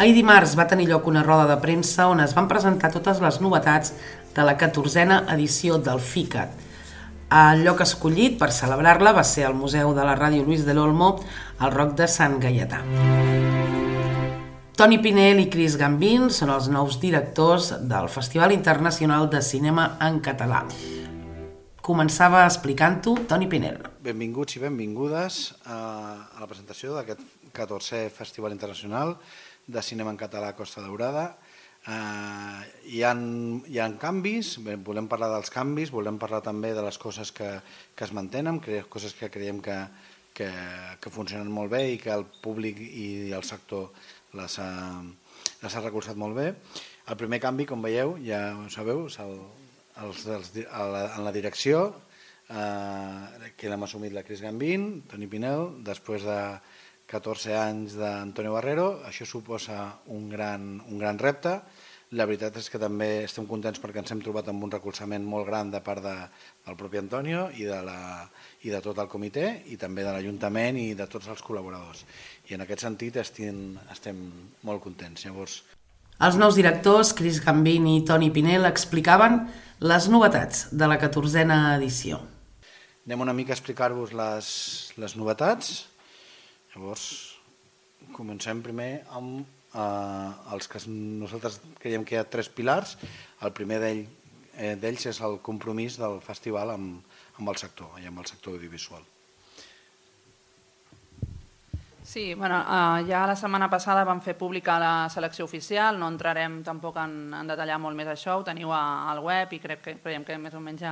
Ahir dimarts va tenir lloc una roda de premsa on es van presentar totes les novetats de la 14a edició del FICAD. El lloc escollit per celebrar-la va ser el Museu de la Ràdio Luis del Olmo, al Roc de Sant Gaietà. Toni Pinell i Chris Gambin són els nous directors del Festival Internacional de Cinema en Català. Començava explicant-ho Toni Pinell. Benvinguts i benvingudes a la presentació d'aquest 14è Festival Internacional de Cinema en Català a Costa Daurada. Hi ha canvis, volem parlar dels canvis, volem parlar també de les coses que es mantenen, coses que creiem que funcionen molt bé i que el públic i el sector les ha recolzat molt bé. El primer canvi, com veieu, ja ho sabeu, en la direcció, que l'hem assumit la Chris Gambin, Toni Pinell, després de 14 anys d'Antonio Barrero. Això suposa un gran repte. La veritat és que també estem contents perquè ens hem trobat amb un recolzament molt gran de part del propi Antonio i de tot el comitè i també de l'Ajuntament i de tots els col·laboradors. I en aquest sentit estem molt contents. Llavors, els nous directors, Chris Gambin i Toni Pinell, explicaven les novetats de la 14a edició. Anem una mica a explicar-vos les novetats. Llavors, comencem primer amb els que nosaltres creiem que hi ha 3 pilars. El primer d'ells és el compromís del festival amb el sector, i amb el sector audiovisual. Sí, ja la setmana passada vam fer pública la selecció oficial, no entrarem tampoc en detallar molt més això, ho teniu al web i creiem que més o menys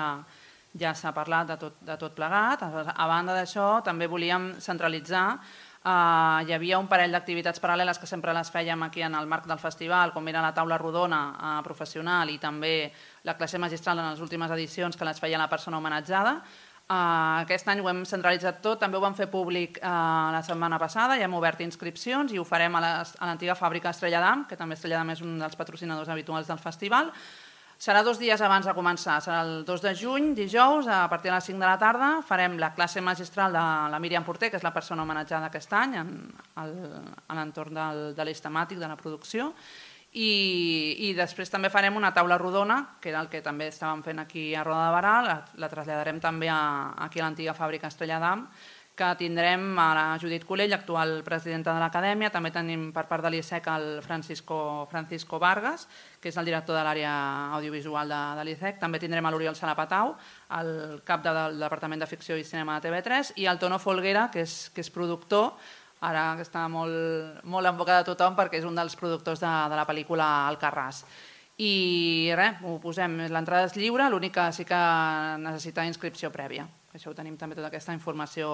ja s'ha parlat de tot plegat. A banda d'això, també volíem centralitzar. Hi havia un parell d'activitats paral·leles que sempre les fèiem aquí en el marc del festival, com era la taula rodona professional i també la classe magistral en les últimes edicions que les feia la persona homenatjada. Aquest any ho hem centralitzat tot, també ho vam fer públic la setmana passada, ja hem obert inscripcions i ho farem a l'antiga fàbrica Estrella d'Am, que també Estrella d'Am és un dels patrocinadors habituals del festival. Serà 2 dies abans de començar, serà el 2 de juny, dijous, a partir de les 5 de la tarda. Farem la classe magistral de la Míriam Porter, que és la persona homenatjada aquest any en l'entorn de l'eix temàtic de la producció. I després també farem una taula rodona, que era el que també estàvem fent aquí a Roda de Barà, la traslladarem també aquí a l'antiga fàbrica Estrella d'Am, que tindrem a la Judit Colell, actual presidenta de l'Acadèmia, també tenim per part de l'ISEC el Francisco Vargas, que és el director de l'àrea audiovisual de l'ISEC, també tindrem l'Oriol Salapatau, el cap del Departament de Ficció i Cinema de TV3, i el Tono Folguera, que és productor, ara que està molt en boca de tothom perquè és un dels productors de la pel·lícula Alcarràs. I res, ho posem, l'entrada és lliure, l'únic que sí que necessita inscripció prèvia. Això ho tenim també tota aquesta informació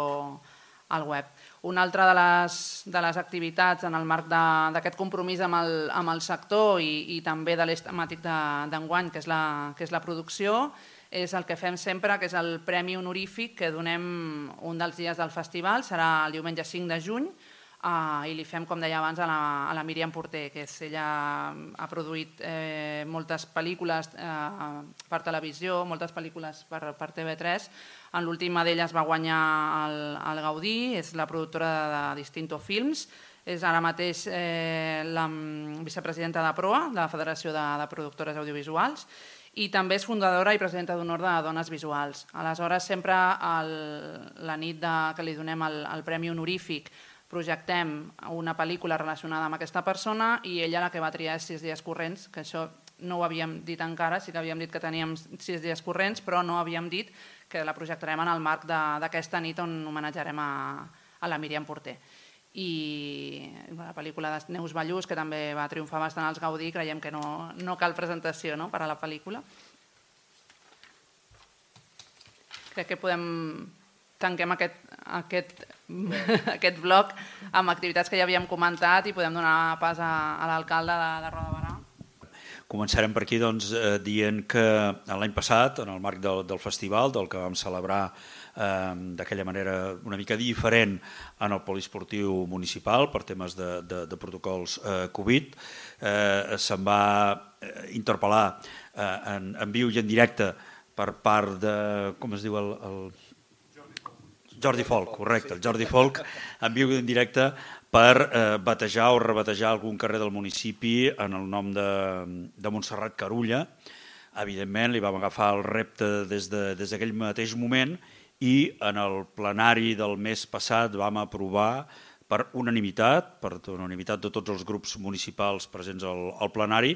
al web. Una altra de les activitats en el marc d'aquest compromís amb el sector i també de l'eix temàtic d'enguany, que és la producció, és el que fem sempre, que és el Premi Honorífic que donem un dels dies del festival, serà el diumenge 5 de juny, i li fem, com deia abans, a la Míriam Porter, que ella ha produït moltes pel·lícules per televisió, moltes pel·lícules per TV3. En l'última d'elles va guanyar el Gaudí, és la productora de Distinto Films, és ara mateix la vicepresidenta de PROA, de la Federació de Productores Audiovisuals, i també és fundadora i presidenta d'honor de Dones Visuals. Aleshores, sempre la nit que li donem el Premi Honorífic projectem una pel·lícula relacionada amb aquesta persona i ella la que va triar és 6 dies corrents, que això no ho havíem dit encara, sí que havíem dit que teníem 6 dies corrents, però no havíem dit que la projectarem en el marc d'aquesta nit on homenatjarem a la Míriam Porter. I la pel·lícula de Neus Ballús, que també va triomfar bastant als Gaudí, creiem que no cal presentació per a la pel·lícula. Crec que tanquem aquest bloc amb activitats que ja havíem comentat i podem donar pas a l'alcalde de Roda de Barà. Començarem per aquí dient que l'any passat, en el marc del festival, del que vam celebrar d'aquella manera una mica diferent en el poliesportiu municipal per temes de protocols Covid, se'n va interpel·lar en viu i en directe per part de, com es diu el Jordi Folk, correcte, el Jordi Folk, en viu i en directe per batejar o rebatejar algun carrer del municipi en el nom de Montserrat Carulla. Evidentment, li vam agafar el repte des d'aquell mateix moment i en el plenari del mes passat vam aprovar per unanimitat de tots els grups municipals presents al plenari,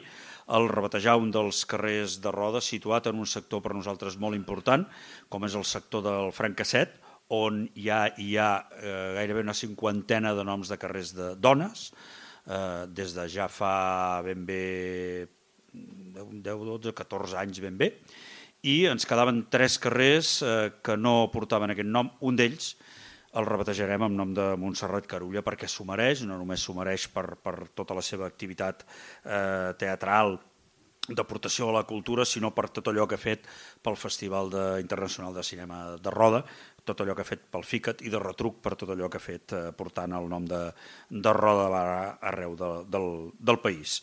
el rebatejar un dels carrers de Roda situat en un sector per nosaltres molt important, com és el sector del Francasset, on hi ha gairebé una cinquantena de noms de carrers de dones, des de ja fa ben bé 10, 12, 14 anys ben bé, i ens quedaven 3 carrers que no portaven aquest nom. Un d'ells el rebatejarem amb nom de Montserrat Carulla perquè s'ho mereix, no només s'ho mereix per tota la seva activitat teatral, d'aportació a la cultura, sinó per tot allò que ha fet pel Festival Internacional de Cinema de Roda, tot allò que ha fet pel FICAT i de retruc per tot allò que ha fet portant el nom de Roda arreu del país.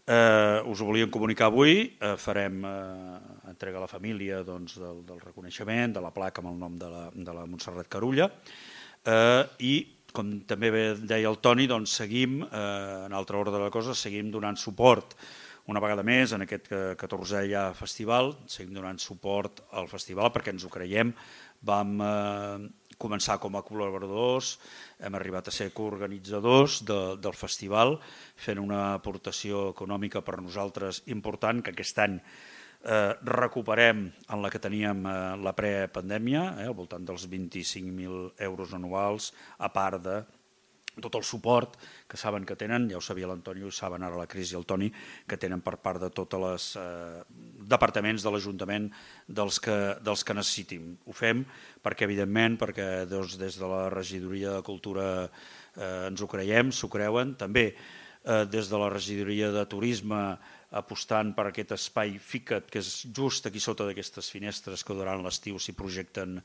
Us ho volíem comunicar avui, farem entrega a la família del reconeixement, de la placa amb el nom de la Montserrat Carulla i, com també deia el Toni, seguim, en altra ordre de la cosa, seguim donant suport una vegada més en aquest 14è ja festival, seguim donant suport al festival perquè ens ho creiem. Vam començar com a col·laboradors, hem arribat a ser coorganitzadors del festival, fent una aportació econòmica per nosaltres important, que aquest any recuperem en la que teníem la prepandèmia, al voltant dels 25.000 euros anuals, a part de tot el suport que saben que tenen, ja ho sabia l'Antonio, ho saben ara la Cris i el Toni, que tenen per part de tots els departaments de l'Ajuntament dels que necessitin. Ho fem perquè, evidentment, perquè des de la regidoria de Cultura ens ho creiem, s'ho creuen, també des de la regidoria de Turisme apostant per aquest espai FICAT, que és just aquí sota d'aquestes finestres que durant l'estiu s'hi projecten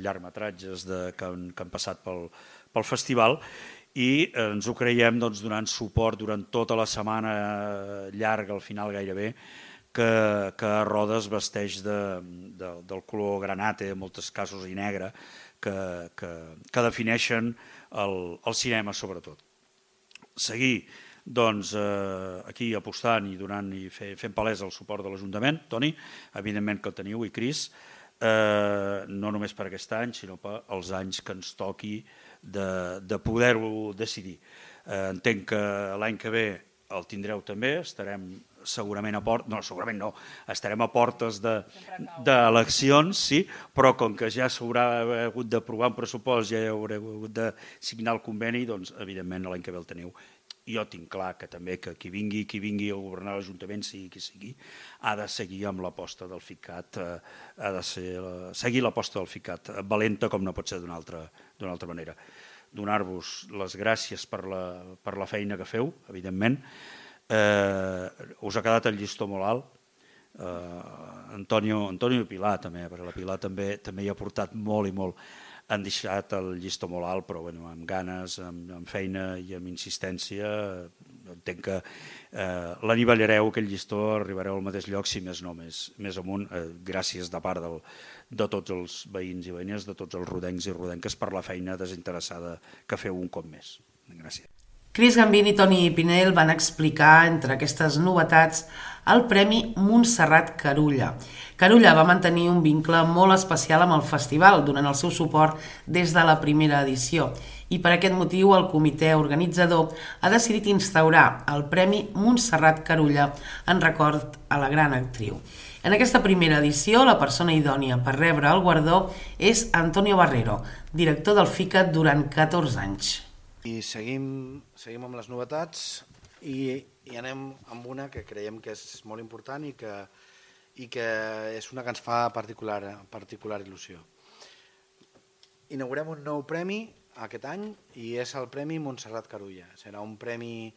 llargmetratges que han passat pel festival, i ens ho creiem donant suport durant tota la setmana llarga, al final gairebé, que Roda es vesteix del color granate, en molts casos i negre, que defineixen el cinema sobretot. Seguir aquí apostant i donant i fent palès el suport de l'Ajuntament, Toni, evidentment que el teniu, i Cris, no només per aquest any, sinó pels anys que ens toqui de poder-ho decidir. Entenc que l'any que ve el tindreu també, estarem segurament a portes, no, segurament no, estarem a portes d'eleccions, sí, però com que ja s'haurà hagut d'aprovar un pressupost, ja haurà hagut de signar el conveni, doncs evidentment l'any que ve el teniu. Jo tinc clar que també que qui vingui a governar l'Ajuntament, sigui qui sigui, ha de seguir amb l'aposta del FICAT, ha de seguir l'aposta del FICAT, valenta com no pot ser d'una altra manera. Donar-vos les gràcies per la feina que feu, evidentment. Us ha quedat el llistó molt alt. Antonio i Pilar també, perquè la Pilar també hi ha portat molt i molt. Han deixat el llistó molt alt, però amb ganes, amb feina i amb insistència, entenc que l'anivellareu, aquell llistó, arribareu al mateix lloc, si més no, més amunt, gràcies de part de tots els veïns i veïnes, de tots els rodencs i rodenques per la feina desinteressada que feu un cop més. Gràcies. Cris Gambini i Toni Pinell van explicar, entre aquestes novetats, el Premi Montserrat Carulla. Carulla va mantenir un vincle molt especial amb el festival durant el seu suport des de la primera edició i per aquest motiu el comitè organitzador ha decidit instaurar el Premi Montserrat Carulla en record a la gran actriu. En aquesta primera edició, la persona idònia per rebre el guardó és Antonio Barrero, director del FICAT durant 14 anys. I seguim amb les novetats i anem amb una que creiem que és molt important i que és una que ens fa particular il·lusió. Inaugurem un nou premi aquest any i és el Premi Montserrat Carulla. Serà un premi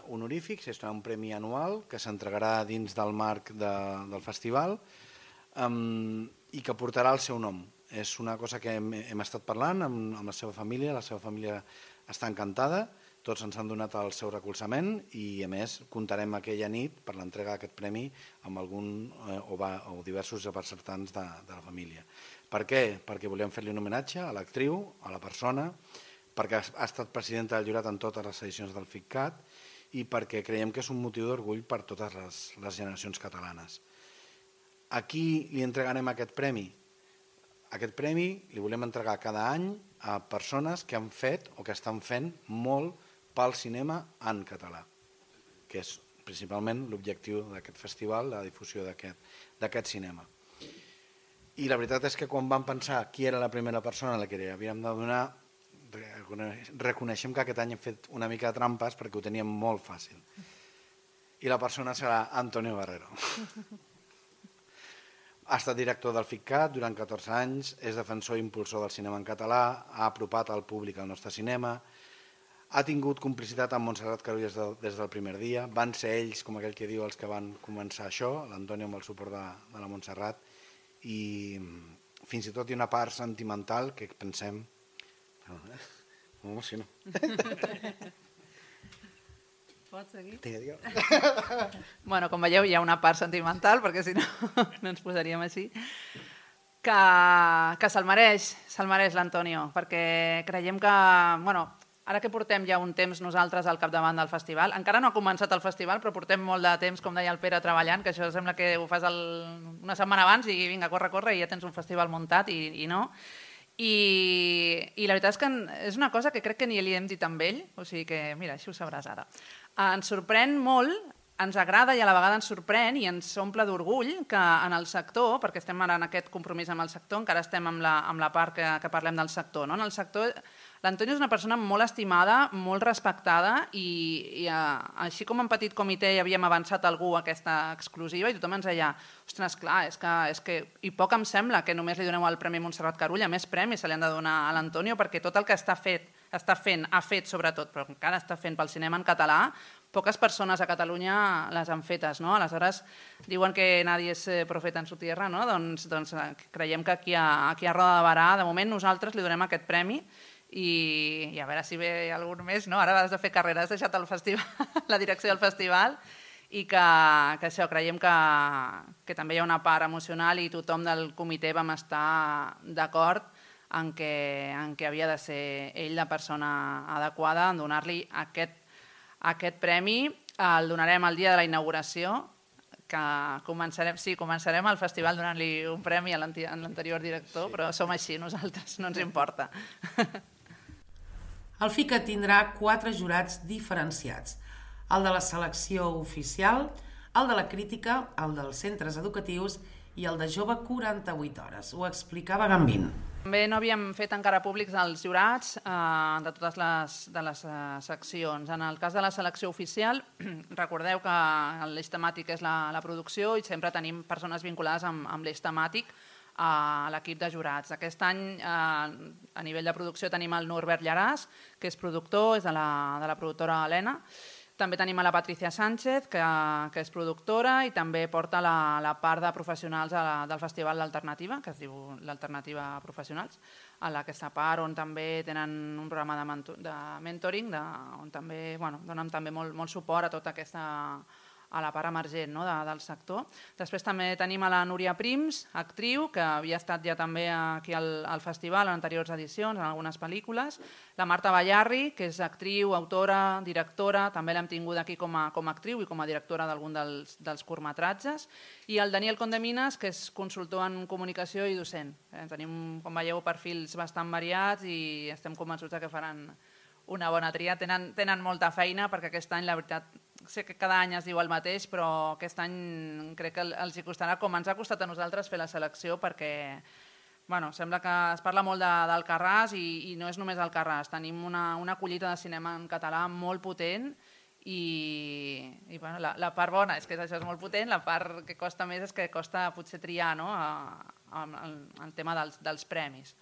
honorífic, serà un premi anual que s'entregarà dins del marc del festival i que portarà el seu nom. És una cosa que hem estat parlant amb la seva família està encantada, tots ens han donat el seu recolzament i, a més, comptarem aquella nit per l'entrega d'aquest premi amb algun o diversos representants de la família. Per què? Perquè volíem fer-li un homenatge a l'actriu, a la persona, perquè ha estat presidenta del jurat en totes les edicions del FICCAT i perquè creiem que és un motiu d'orgull per totes les generacions catalanes. A qui li entregarem aquest premi? Aquest premi li volem entregar cada any a persones que han fet o que estan fent molt pel cinema en català, que és principalment l'objectiu d'aquest festival, la difusió d'aquest cinema. I la veritat és que quan vam pensar qui era la primera persona a la que li havíem de donar, reconeixem que aquest any hem fet una mica de trampes perquè ho teníem molt fàcil. I la persona serà Antonio Barrero. Ha estat director del FICCAT durant 14 anys, és defensor i impulsor del cinema en català, ha apropat al públic al nostre cinema, ha tingut complicitat amb Montserrat Carulla des del primer dia, van ser ells, com aquell que diu, els que van començar això, l'Antonio amb el suport de la Montserrat, i fins i tot hi ha una part sentimental que pensem... M'emociono. Pots seguir? Digue'm. Bueno, com veieu, hi ha una part sentimental, perquè si no, no ens posaríem així. Que se'l mereix l'Antonio, perquè creiem que, bueno, ara que portem ja un temps nosaltres al capdavant del festival, encara no ha començat el festival, però portem molt de temps, com deia el Pere, treballant, que això sembla que ho fas una setmana abans i vinga, corre, i ja tens un festival muntat i no. I la veritat és que és una cosa que crec que ni li hem dit amb ell, o sigui que, mira, així ho sabràs ara. Ens sorprèn molt, ens agrada i a la vegada ens sorprèn i ens omple d'orgull que en el sector, perquè estem ara en aquest compromís amb el sector, encara estem amb la part que parlem del sector, no? En el sector, l'Antonio és una persona molt estimada, molt respectada i així com en petit comitè hi havíem avançat algú a aquesta exclusiva i tothom ens deia, ostres, clar, és que i poc em sembla que només li doneu el Premi Montserrat Carulla, més premis se li han de donar a l'Antonio perquè tot el que ha fet sobretot, però encara està fent pel cinema en català, poques persones a Catalunya les han fetes, no? Aleshores, diuen que nadie és profeta en su tierra, no? Doncs creiem que aquí a Roda de Barà, de moment nosaltres li donem aquest premi i a veure si ve algun més, no? Ara has de fer carrera, has deixat el festival, la direcció del festival i que això, creiem que també hi ha una part emocional i tothom del comitè vam estar d'acord en què havia de ser ell la persona adequada en donar-li aquest premi. El donarem el dia de la inauguració, que començarem el festival donant-li un premi a l'anterior director, però som així nosaltres, no ens importa. El FICCAT tindrà 4 jurats diferenciats, el de la selecció oficial, el de la crítica, el dels centres educatius i el de jove 48 hores. Ho explicava Gambín. També no havíem fet encara públics els jurats de totes les seccions. En el cas de la selecció oficial, recordeu que l'eix temàtic és la producció i sempre tenim persones vinculades amb l'eix temàtic a l'equip de jurats. Aquest any, a nivell de producció, tenim el Norbert Llaràs, que és productor, és de la productora Helena. També tenim a la Patricia Sánchez, que és productora i també porta la part de professionals del Festival l'Alternativa, que es diu l'Alternativa Professionals, a aquesta part on també tenen un programa de mentoring, on també donen també molt suport a tota aquesta a la part emergent del sector. Després també tenim a la Núria Prims, actriu, que havia estat ja també aquí al festival en anteriors edicions, en algunes pel·lícules. La Marta Ballarri, que és actriu, autora, directora, també l'hem tingut aquí com a actriu i com a directora d'algun dels curtmetratges. I el Daniel Condeminas, que és consultor en comunicació i docent. Tenim, com veieu, perfils bastant variats i estem convençuts que faran una bona tria. Tenen molta feina perquè aquest any, la veritat, sé que cada any es diu el mateix, però aquest any crec que els hi costarà, com ens ha costat a nosaltres fer la selecció, perquè sembla que es parla molt d'Alcarràs i no és només Alcarràs. Tenim una collita de cinema en català molt potent i la part bona és que això és molt potent, la part que costa més és que costa potser triar el tema dels premis.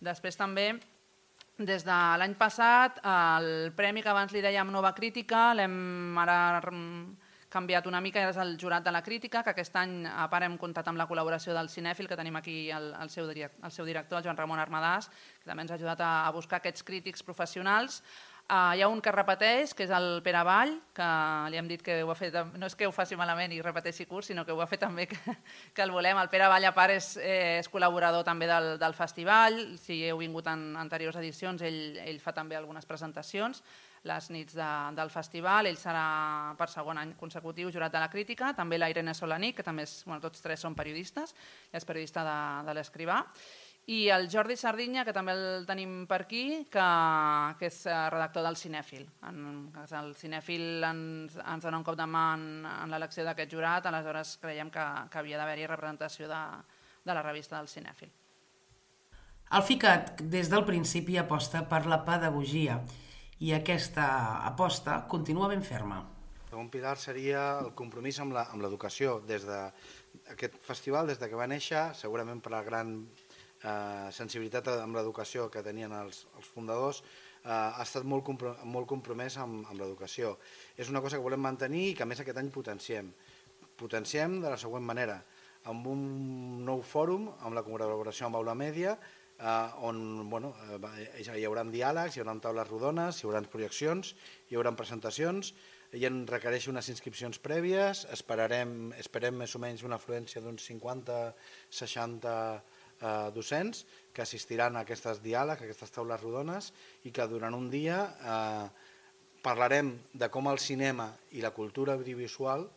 Després també, des de l'any passat, el premi que abans li dèiem Nova Crítica l'hem ara canviat una mica, és el jurat de la crítica, que aquest any a part hem comptat amb la col·laboració del cinèfil, que tenim aquí el seu director, el Joan Ramon Armadàs, que també ens ha ajudat a buscar aquests crítics professionals. Hi ha un que repeteix, que és el Pere Vall, que li hem dit que ho ha fet, no és que ho faci malament i repeteixi curs, sinó que ho ha fet també que el volem. El Pere Vall, a part, és col·laborador també del festival. Si heu vingut en anteriors edicions, ell fa també algunes presentacions les nits del festival. Ell serà per segon any consecutiu jurat de la crítica. També la Irene Solanic, que també tots tres són periodistes, és periodista de l'Escrivà. I el Jordi Sardinya, que també el tenim per aquí, que és redactor del Cinèfil. El Cinèfil ens dona un cop de mà en l'elecció d'aquest jurat, aleshores creiem que havia d'haver-hi representació de la revista del Cinèfil. El FICAT des del principi aposta per la pedagogia i aquesta aposta continua ben ferma. El segon pilar seria el compromís amb l'educació. Des d'aquest festival, des que va néixer, segurament per la gran sensibilitat amb l'educació que tenien els fundadors, ha estat molt compromès amb l'educació. És una cosa que volem mantenir i que a més aquest any potenciem. Potenciem de la següent manera, amb un nou fòrum, amb la col·laboració amb Aula Mèdia, on hi haurà diàlegs, hi haurà taules rodones, hi haurà projeccions, hi haurà presentacions, i en requereix unes inscripcions prèvies, esperem més o menys una afluència d'uns 50-60 docents que assistiran a aquests diàlegs, a aquestes taules rodones, i que durant un dia parlarem de com el cinema i la cultura audiovisual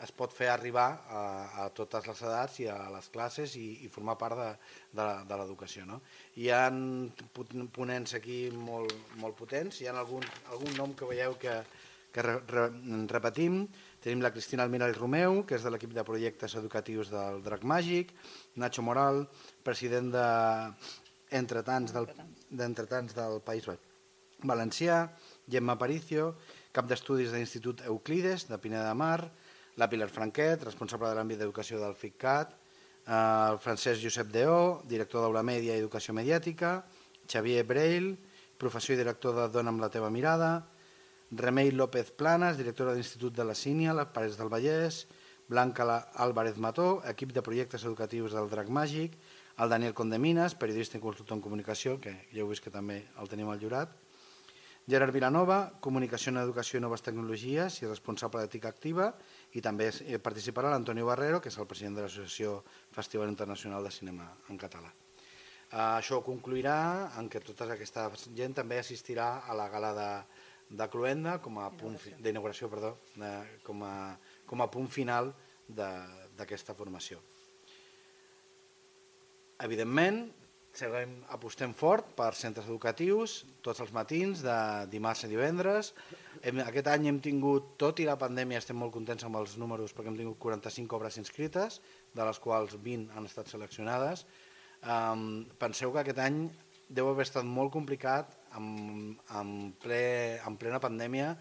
es pot fer arribar a totes les edats i a les classes i formar part de l'educació. Hi ha ponents aquí molt potents, hi ha algun nom que veieu que repetim. Tenim la Cristina Almiral Romeu, que és de l'equip de projectes educatius del Drac Màgic, Nacho Moral, president d'Entretants del País Valencià, Gemma Aparicio, cap d'estudis de l'Institut Euclides, de Pineda de Mar, la Pilar Franquet, responsable de l'àmbit d'educació del FICCAT, el Francesc Josep Deó, director d'Aula Mèdia i Educació Mediàtica, Xavier Breil, professor i director de Dona amb la teva mirada, Remei López Planas, directora de l'Institut de la Sínia, les Pares del Vallès, Blanca Álvarez Mató, equip de projectes educatius del Drac Màgic, el Daniel Condeminas, periodista i consultor en comunicació, que ja heu vist que també el tenim al jurat, Gerard Vilanova, comunicació en educació i noves tecnologies i responsable d'ètica activa, i també participarà l'Antonio Barrero, que és el president de l'Associació Festival Internacional de Cinema en Català. Això concluirà en què tota aquesta gent també assistirà a la gala de Cluenda d'inauguració, com a punt final d'aquesta formació. Evidentment, apostem fort per centres educatius tots els matins, de dimarts a divendres. Aquest any hem tingut, tot i la pandèmia, estem molt contents amb els números perquè hem tingut 45 obres inscrites, de les quals 20 han estat seleccionades. Penseu que aquest any deu haver estat molt complicat en plena pandèmia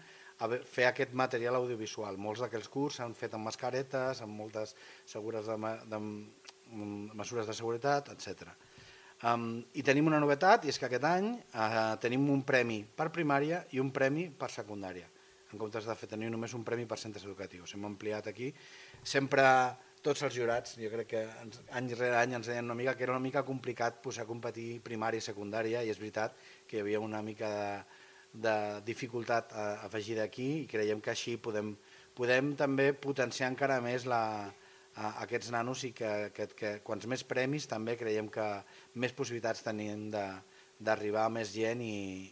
fer aquest material audiovisual. Molts d'aquells curs s'han fet amb mascaretes, amb moltes mesures de seguretat, etc. I tenim una novetat, i és que aquest any tenim un premi per primària i un premi per secundària, en comptes de tenir només un premi per centres educatius. Hem ampliat aquí. Sempre tots els jurats, jo crec que any rere any ens deien que era una mica complicat posar a competir primària i secundària, i és veritat que hi havia una mica de dificultat afegida aquí, i creiem que així podem també potenciar encara més aquests nanos, i que quants més premis també creiem que més possibilitats tenim d'arribar a més gent i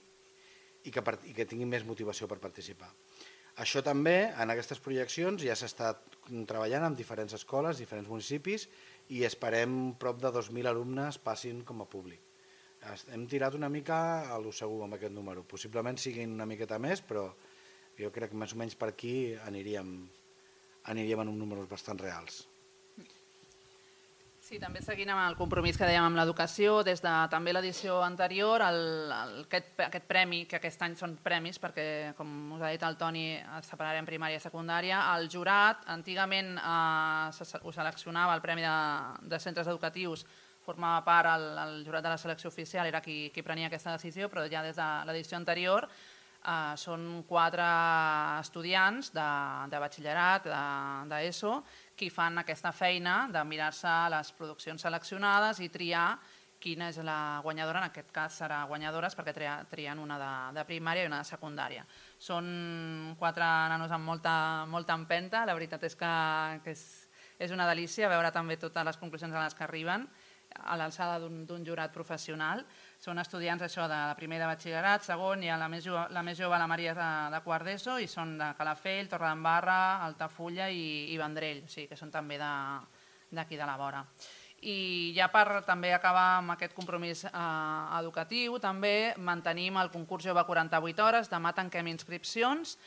que tinguin més motivació per participar. Això també, en aquestes projeccions, ja s'ha estat treballant amb diferents escoles, diferents municipis, i esperem prop de 2.000 alumnes passin com a públic. Hem tirat una mica a lo segur amb aquest número. Possiblement siguin una miqueta més, però jo crec que més o menys per aquí aniríem en uns números bastant reals. Sí, també seguint amb el compromís que dèiem amb l'educació, des de també l'edició anterior, aquest premi, que aquest any són premis, perquè, com us ha dit el Toni, separarem primària i secundària, el jurat, antigament ho seleccionava, el premi de centres educatius, formava part, el jurat de la selecció oficial era qui prenia aquesta decisió, però ja des de l'edició anterior són 4 estudiants de batxillerat, d'ESO, qui fan aquesta feina de mirar-se les produccions seleccionades i triar quina és la guanyadora. En aquest cas serà guanyadores perquè trien una de primària i una de secundària. Són 4 nanos amb molta empenta, la veritat és que és una delícia veure també totes les conclusions a les que arriben a l'alçada d'un jurat professional. Són estudiants això de primer de batxillerat, segon, i la més jove, la Maria, de quart d'ESO, i són de Calafell, Torredembarra, Altafulla i Vendrell, o sigui que són també d'aquí de la vora. I ja per també acabar amb aquest compromís educatiu, també mantenim el concurs Jove 48 hores, demà tanquem inscripcions.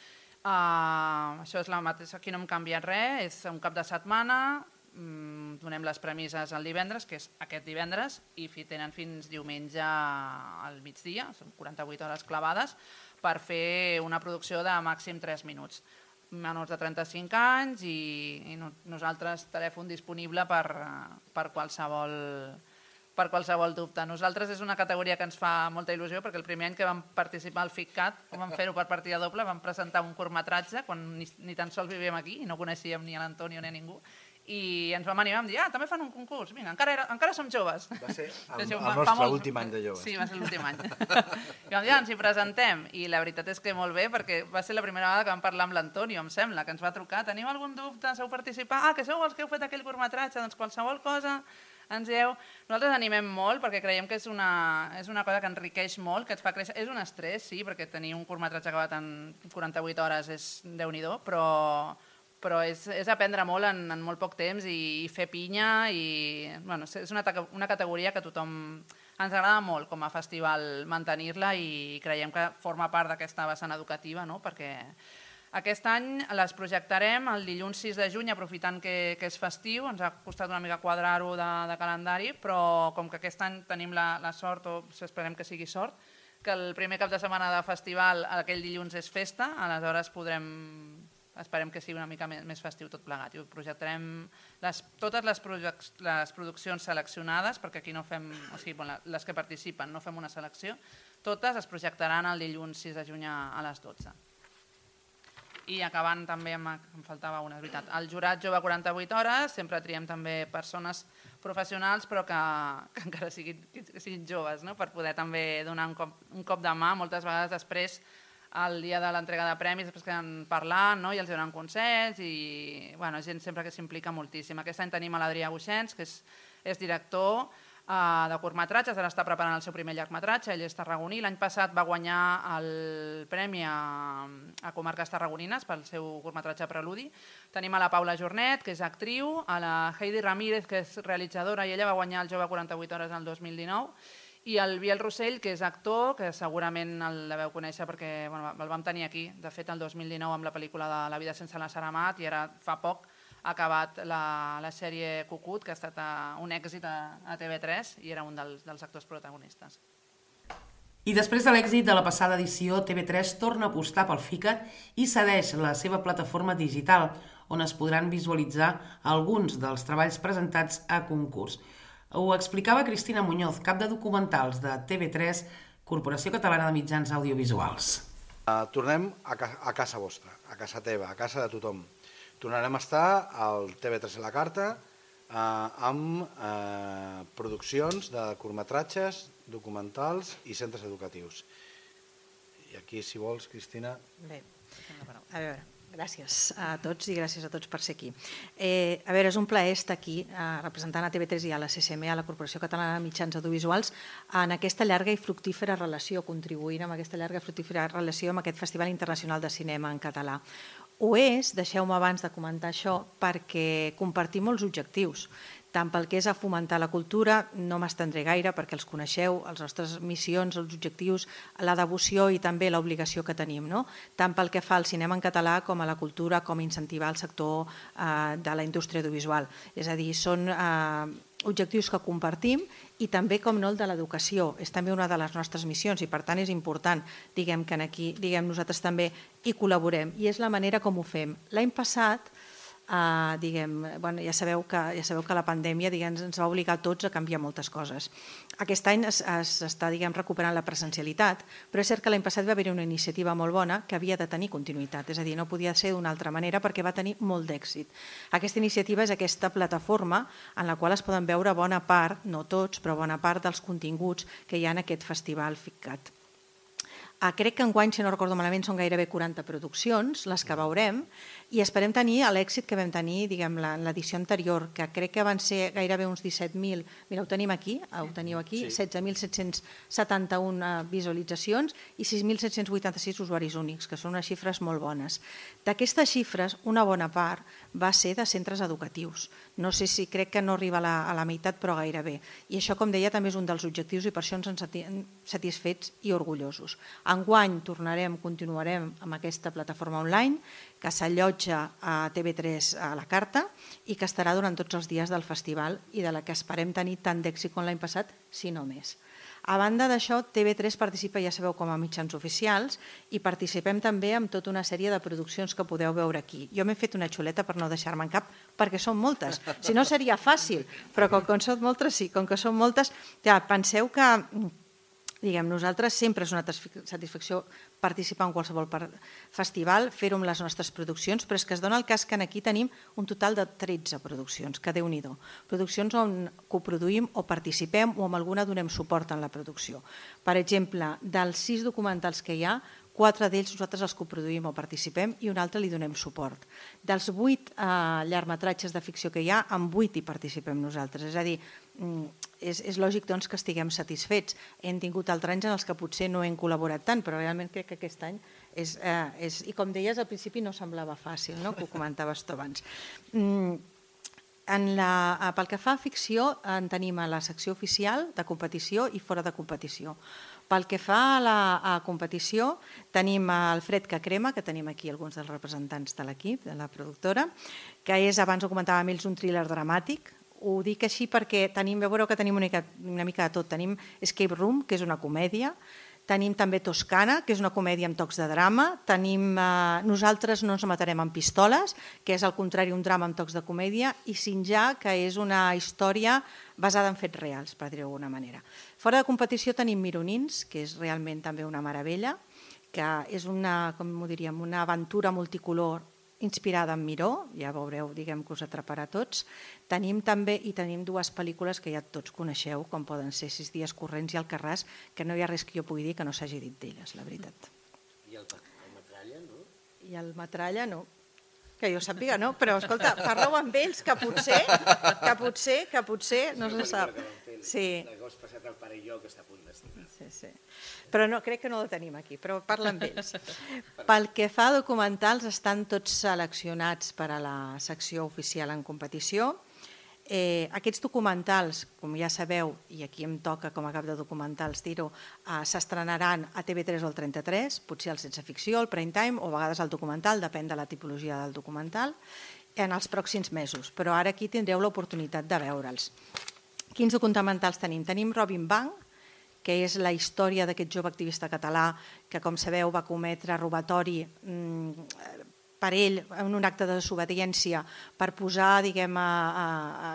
Això és la mateixa, aquí no hem canviat res, és un cap de setmana, donem les premisses el divendres, que és aquest divendres, i tenen fins diumenge al migdia, són 48 hores clavades, per fer una producció de màxim 3 minuts. Menors de 35 anys i nosaltres telèfon disponible per qualsevol dubte. Nosaltres és una categoria que ens fa molta il·lusió perquè el primer any que vam participar al FICCAT, vam fer-ho per partida doble, vam presentar un curtmetratge quan ni tan sols vivíem aquí i no coneixíem ni l'Antonio ni a ningú, i ens vam animar, vam dir, també fan un concurs, vinga, encara som joves. Va ser el nostre últim any de joves. Sí, va ser l'últim any. I vam dir, ens hi presentem, i la veritat és que molt bé, perquè va ser la primera vegada que vam parlar amb l'Antonio, em sembla, que ens va trucar, teniu algun dubte, sou participar? Que sou els que heu fet aquell curtmetratge, doncs qualsevol cosa, ens dieu. Nosaltres animem molt perquè creiem que és una cosa que enriqueix molt, que et fa créixer. És un estrès, sí, perquè tenir un curtmetratge acabat en 48 hores és Déu-n'hi-do, però és aprendre molt en molt poc temps i fer pinya, i és una categoria que a tothom ens agrada molt com a festival mantenir-la, i creiem que forma part d'aquesta vessant educativa, perquè aquest any les projectarem el dilluns 6 de juny, aprofitant que és festiu. Ens ha costat una mica quadrar-ho de calendari, però com que aquest any tenim la sort, o esperem que sigui sort, que el primer cap de setmana de festival aquell dilluns és festa, aleshores esperem que sigui una mica més festiu tot plegat. I projectarem totes les produccions seleccionades, perquè aquí no fem, o sigui, les que participen no fem una selecció, totes es projectaran el dilluns 6 de juny a les 12. I acabant també, em faltava una, és veritat, el jurat Jove 48 hores, sempre triem també persones professionals però que encara siguin joves, per poder també donar un cop de mà. Moltes vegades després, el dia de l'entrega de premis, després queden parlant i els donen consells, i gent sempre que s'implica moltíssim. Aquest any tenim l'Adrià Buixens, que és director de curtmetratges, ara està preparant el seu primer llargmetratge, ell és tarragoní. L'any passat va guanyar el premi a Comarques Tarragonines pel seu curtmetratge Preludi. Tenim a la Paula Jornet, que és actriu, a la Heidi Ramírez, que és realitzadora, i ella va guanyar el Jove 48 hores el 2019, i el Biel Rossell, que és actor, que segurament el deveu conèixer perquè el vam tenir aquí, de fet el 2019 amb la pel·lícula de La vida sense la Sara Amat, i ara fa poc ha acabat la sèrie Cucut, que ha estat un èxit a TV3 i era un dels actors protagonistes. I després de l'èxit de la passada edició, TV3 torna a apostar pel FICCAT i cedeix la seva plataforma digital, on es podran visualitzar alguns dels treballs presentats a concurs. Ho explicava Cristina Muñoz, cap de documentals de TV3, Corporació Catalana de Mitjans Audiovisuals. Tornem a casa vostra, a casa teva, a casa de tothom. Tornarem a estar al TV3 a la carta amb produccions de curtmetratges, documentals i centres educatius. I aquí, si vols, Cristina... Bé, a veure, gràcies a tots i gràcies a tots per ser aquí. A veure, és un plaer estar aquí representant a TV3 i a la CCM, a la Corporació Catalana de Mitjans Audiovisuals, en aquesta llarga i fructífera relació, contribuint amb aquesta llarga i fructífera relació amb aquest Festival Internacional de Cinema en Català. Ho és, deixeu-me abans de comentar això, perquè compartim molts objectius, tant pel que és a fomentar la cultura, no m'estendré gaire perquè els coneixeu, les nostres missions, els objectius, la devoció i també l'obligació que tenim, tant pel que fa al cinema en català com a la cultura, com incentivar el sector de la indústria audiovisual. És a dir, són objectius que compartim i també, com no, el de l'educació. És també una de les nostres missions i per tant és important que aquí nosaltres també hi col·laborem i és la manera com ho fem. L'any passat ja sabeu que la pandèmia ens va obligar a tots a canviar moltes coses. Aquest any s'està recuperant la presencialitat, però és cert que l'any passat va haver una iniciativa molt bona que havia de tenir continuïtat, és a dir, no podia ser d'una altra manera perquè va tenir molt d'èxit. Aquesta iniciativa és aquesta plataforma en la qual es poden veure bona part, no tots, però bona part dels continguts que hi ha en aquest festival FICCAT. Crec que enguany, si no recordo malament, són gairebé 40 produccions, les que veurem, i esperem tenir l'èxit que vam tenir l'edició anterior, que crec que van ser gairebé uns 17.000, mira, ho teniu aquí, 16.771 visualitzacions i 6.786 usuaris únics, que són unes xifres molt bones. D'aquestes xifres, una bona part va ser de centres educatius. No sé si crec que no arriba a la meitat, però gairebé. I això, com deia, també és un dels objectius i per això ens en sentim satisfets i orgullosos. Enguany continuarem amb aquesta plataforma online que s'allotja a TV3 a la carta i que estarà durant tots els dies del festival i de la que esperem tenir tant d'èxit com l'any passat, si no més. A banda d'això, TV3 participa, ja sabeu, com a mitjans oficials i participem també en tota una sèrie de produccions que podeu veure aquí. Jo m'he fet una xuleta per no deixar-me en cap, perquè són moltes. Si no seria fàcil, però com que són moltes, sí, com que són moltes, ja penseu que nosaltres sempre és una satisfacció participar en qualsevol festival, fer-ho amb les nostres produccions, però és que es dona el cas que aquí tenim un total de 13 produccions, que Déu-n'hi-do. Produccions on coproduïm o participem o amb alguna donem suport en la producció. Per exemple, dels 6 documentals que hi ha, 4 d'ells nosaltres els coproduïm o participem i un altre li donem suport. Dels 8 llargmetratges de ficció que hi ha, en 8 hi participem nosaltres. És a dir, és lògic doncs, que estiguem satisfets. Hem tingut altres anys en els que potser no hem col·laborat tant, però realment crec que aquest any és... I com deies, al principi no semblava fàcil, no? Que ho comentaves tu abans. Pel que fa a ficció, en tenim a la secció oficial de competició i fora de competició. Pel que fa a la competició, tenim el Fred que crema, que tenim aquí alguns dels representants de l'equip, de la productora, que és, abans ho comentàvem ells, un thriller dramàtic. Ho dic així perquè veureu que tenim una mica de tot. Tenim Escape Room, que és una comèdia, tenim també Toscana, que és una comèdia amb tocs de drama, tenim Nosaltres no ens matarem amb pistoles, que és al contrari un drama amb tocs de comèdia, i Sinjar, que és una història basada en fets reals, per dir-ho d'alguna manera. Fora de competició tenim Mironins, que és realment també una meravella, que és una aventura multicolor inspirada en Miró, ja veureu, diguem que us atraparà a tots. Tenim també, i tenim 2 pel·lícules que ja tots coneixeu, com poden ser 6 dies corrents i Alcarràs, que no hi ha res que jo pugui dir que no s'hagi dit d'elles, la veritat. I el Metralla, no? I el Metralla, no. Que jo sàpiga, no? Però, escolta, parleu amb ells, que potser, no se sap. Sí. L'agost passat el pare i jo, que està a punt d'estimar. Sí. Però no, crec que no la tenim aquí, però parla amb ells. Pel que fa a documentals, estan tots seleccionats per a la secció oficial en competició. Aquests documentals, com ja sabeu, i aquí em toca com a cap de documentals dir-ho, s'estrenaran a TV3 o al 33, potser al Sense Ficció, al Prime Time, o a vegades al documental, depèn de la tipologia del documental, en els pròxims mesos. Però ara aquí tindreu l'oportunitat de veure'ls. Quins documentals tenim? Tenim Robin Bank, que és la història d'aquest jove activista català que, com sabeu, va cometre robatori per ell en un acte de desobediència per posar,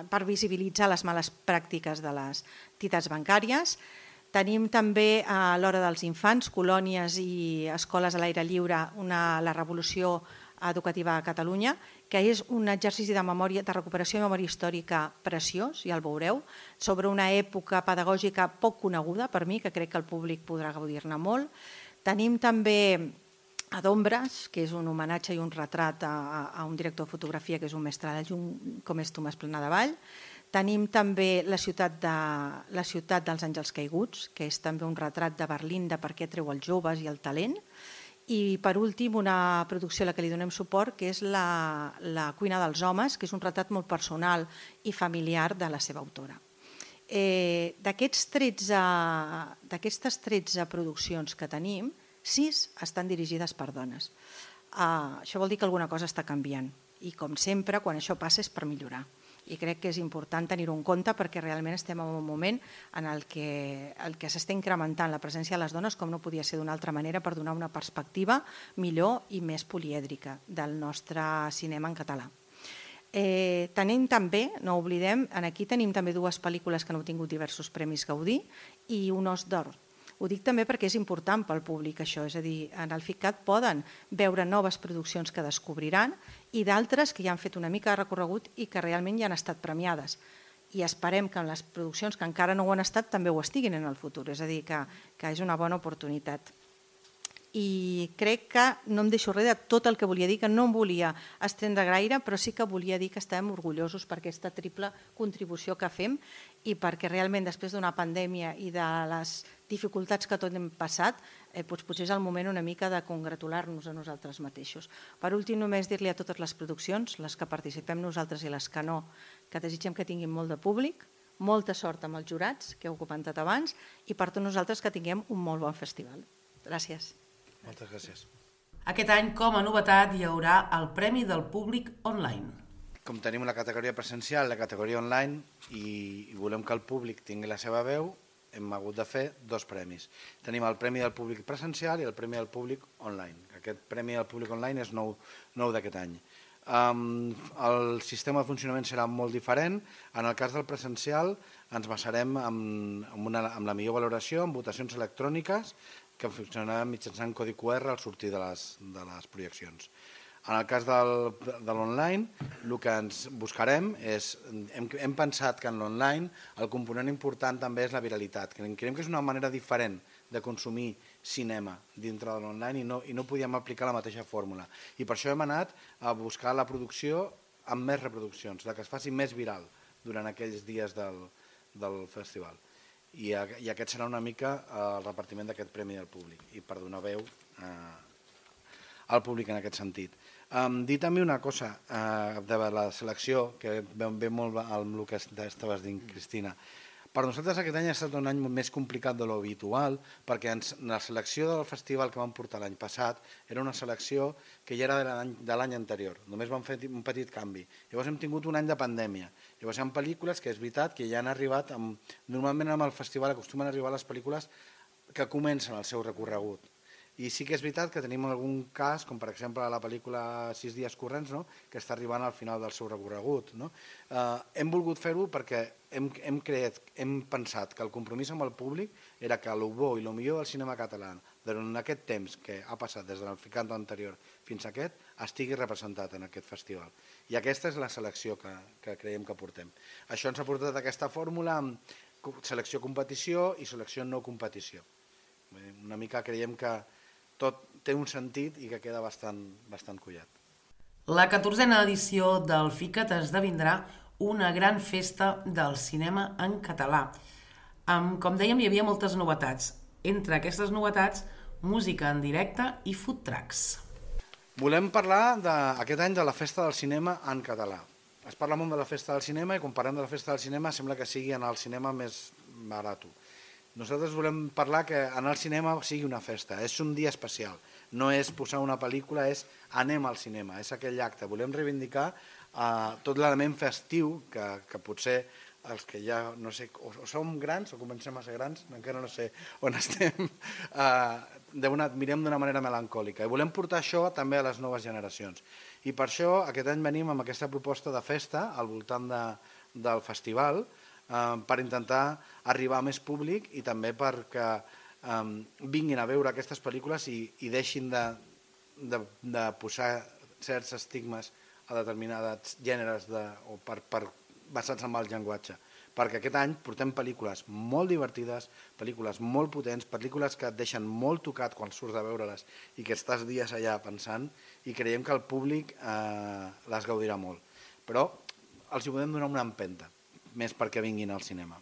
per visibilitzar les males pràctiques de les entitats bancàries. Tenim també a l'Hora dels Infants, colònies i escoles a l'aire lliure, la revolució educativa a Catalunya, que és un exercici de recuperació de memòria històrica preciós, ja el veureu, sobre una època pedagògica poc coneguda per mi, que crec que el públic podrà gaudir-ne molt. Tenim també a d'Ombres, que és un homenatge i un retrat a un director de fotografia que és un mestre de llum, com és Tomàs Planadavall. Tenim també la ciutat dels Àngels Caiguts, que és també un retrat de Berlín de per què treu els joves i el talent. I, per últim, una producció a la que li donem suport, que és La cuina dels homes, que és un retrat molt personal i familiar de la seva autora. D'aquestes 13 produccions que tenim, 6 estan dirigides per dones. Això vol dir que alguna cosa està canviant. I, com sempre, quan això passa és per millorar. I crec que és important tenir-ho en compte perquè realment estem en un moment en el que s'està incrementant la presència de les dones, com no podia ser d'una altra manera, per donar una perspectiva millor i més polièdrica del nostre cinema en català. Tenim també, no oblidem, aquí tenim també dues pel·lícules que han obtingut diversos premis Gaudí i un Os d'Or. Ho dic també perquè és important pel públic això, és a dir, en el FICAT poden veure noves produccions que descobriran i d'altres que ja han fet una mica de recorregut i que realment ja han estat premiades. I esperem que les produccions que encara no ho han estat també ho estiguin en el futur, és a dir, que és una bona oportunitat. I crec que no em deixo res de tot el que volia dir, que no em volia estendre gaire, però sí que volia dir que estem orgullosos per aquesta triple contribució que fem i perquè realment després d'una pandèmia i de les dificultats que tot hem passat, potser és el moment una mica de congratular-nos a nosaltres mateixos. Per últim, només dir-li a totes les produccions, les que participem nosaltres i les que no, que desitgem que tinguin molt de públic, molta sort amb els jurats, que heu comentat abans, i per tots nosaltres que tinguem un molt bon festival. Gràcies. Moltes gràcies. Aquest any, com a novetat, hi haurà el Premi del Públic Online. Com tenim la categoria presencial, la categoria online, i volem que el públic tingui la seva veu, hem hagut de fer dos premis. Tenim el Premi del Públic Presencial i el Premi del Públic Online. Aquest Premi del Públic Online és nou d'aquest any. El sistema de funcionament serà molt diferent. En el cas del presencial ens basarem amb la millor valoració, amb votacions electròniques, que funcionarà mitjançant codi QR al sortir de les projeccions. En el cas de l'online, el que ens buscarem és, hem pensat que en l'online el component important també és la viralitat. Creiem que és una manera diferent de consumir cinema dintre de l'online i no podíem aplicar la mateixa fórmula. I per això hem anat a buscar la producció amb més reproduccions, que es faci més viral durant aquells dies del festival. I aquest serà una mica el repartiment d'aquest Premi del Públic i per donar veu al públic en aquest sentit. Dir també una cosa de la selecció, que ve molt amb el que estaves dient, Cristina. Per nosaltres aquest any ha estat un any més complicat de l'habitual, perquè la selecció del festival que vam portar l'any passat era una selecció que ja era de l'any anterior, només vam fer un petit canvi. Llavors hem tingut un any de pandèmia. Llavors hi ha pel·lícules que és veritat que ja han arribat, normalment amb el festival acostumen a arribar les pel·lícules que comencen el seu recorregut. I sí que és veritat que tenim algun cas, com per exemple la pel·lícula 6 dies corrents, que està arribant al final del seu recorregut. Hem volgut fer-ho perquè hem pensat que el compromís amb el públic era que el bo i el millor del cinema català durant aquest temps que ha passat des del FICAT anterior fins a aquest estigui representat en aquest festival. I aquesta és la selecció que creiem que portem. Això ens ha portat aquesta fórmula amb selecció-competició i selecció-no-competició. Una mica creiem que tot té un sentit i que queda bastant collat. La 14a edició del FICAT esdevindrà una gran festa del cinema en català. Com dèiem, hi havia moltes novetats. Entre aquestes novetats, música en directe i food trucks. Volem parlar aquest any de la festa del cinema en català. Es parla molt de la festa del cinema i quan parlem de la festa del cinema sembla que sigui en el cinema més barat. Nosaltres volem parlar que anar al cinema sigui una festa, és un dia especial. No és posar una pel·lícula, és anem al cinema, és aquell acte. Volem reivindicar tot l'element festiu que potser els que ja, no sé, o som grans o comencem a ser grans, encara no sé on estem, mirem d'una manera melancòlica. I volem portar això també a les noves generacions. I per això aquest any venim amb aquesta proposta de festa al voltant del festival, per intentar arribar a més públic i també perquè vinguin a veure aquestes pel·lícules i deixin de posar certs estigmes a determinats gèneres basats en el llenguatge. Perquè aquest any portem pel·lícules molt divertides, pel·lícules molt potents, pel·lícules que et deixen molt tocat quan surts de veure-les i que estàs dies allà pensant i creiem que el públic les gaudirà molt. Però els hi podem donar una empenta més perquè vinguin al cinema.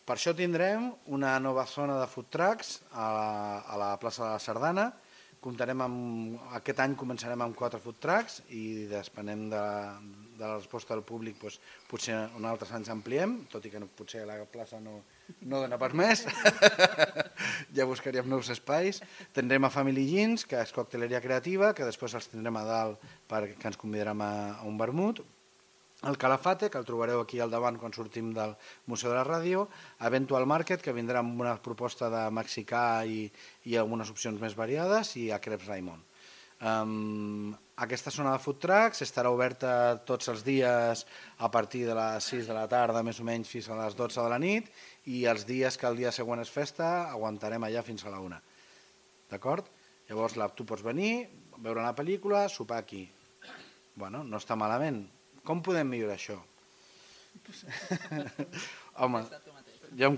Per això tindrem una nova zona de food trucks a la plaça de la Sardana. Aquest any començarem amb 4 food trucks i depenent de la resposta del públic potser un altres anys ampliem, tot i que potser la plaça no dona per més. Ja buscaríem nous espais. Tindrem a Family Jeans, que és cocteleria creativa, que després els tindrem a dalt perquè ens convidarem a un vermut. El Calafate, que el trobareu aquí al davant quan sortim del Museu de la Ràdio, Eventual Market, que vindrà amb una proposta de mexicà i algunes opcions més variades, i a Crepes Raimon. Aquesta zona de food trucks estarà oberta tots els dies a partir de les 6 de la tarda, més o menys fins a les 12 de la nit, i els dies que el dia següent és festa aguantarem allà fins a la 1. D'acord? Llavors tu pots venir, veure la pel·lícula, sopar aquí. Bueno, no està malament. Com podem millorar això? Home, jo em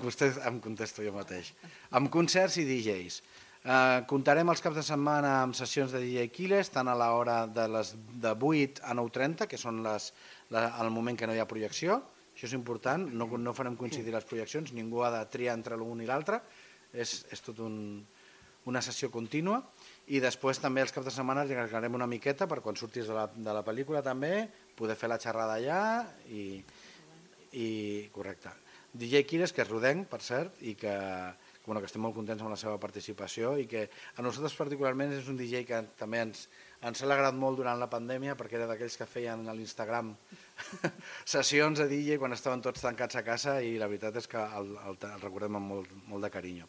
contesto jo mateix. Amb concerts i DJs. Comptarem els caps de setmana amb sessions de DJ Killers, tant a l'hora de 8 a 9:30, que són el moment que no hi ha projecció. Això és important, no farem coincidir les projeccions, ningú ha de triar entre l'un i l'altre, és tot una sessió contínua. I després també els caps de setmana regalarem una miqueta per quan surtis de la pel·lícula també, poder fer la xerrada allà i correcte. DJ Killers, que és rodenc, per cert, i que estem molt contents amb la seva participació i que a nosaltres particularment és un DJ que també ens ha alegrat molt durant la pandèmia perquè era d'aquells que feien a l'Instagram sessions de DJ quan estaven tots tancats a casa i la veritat és que el recordem amb molt de carinyo.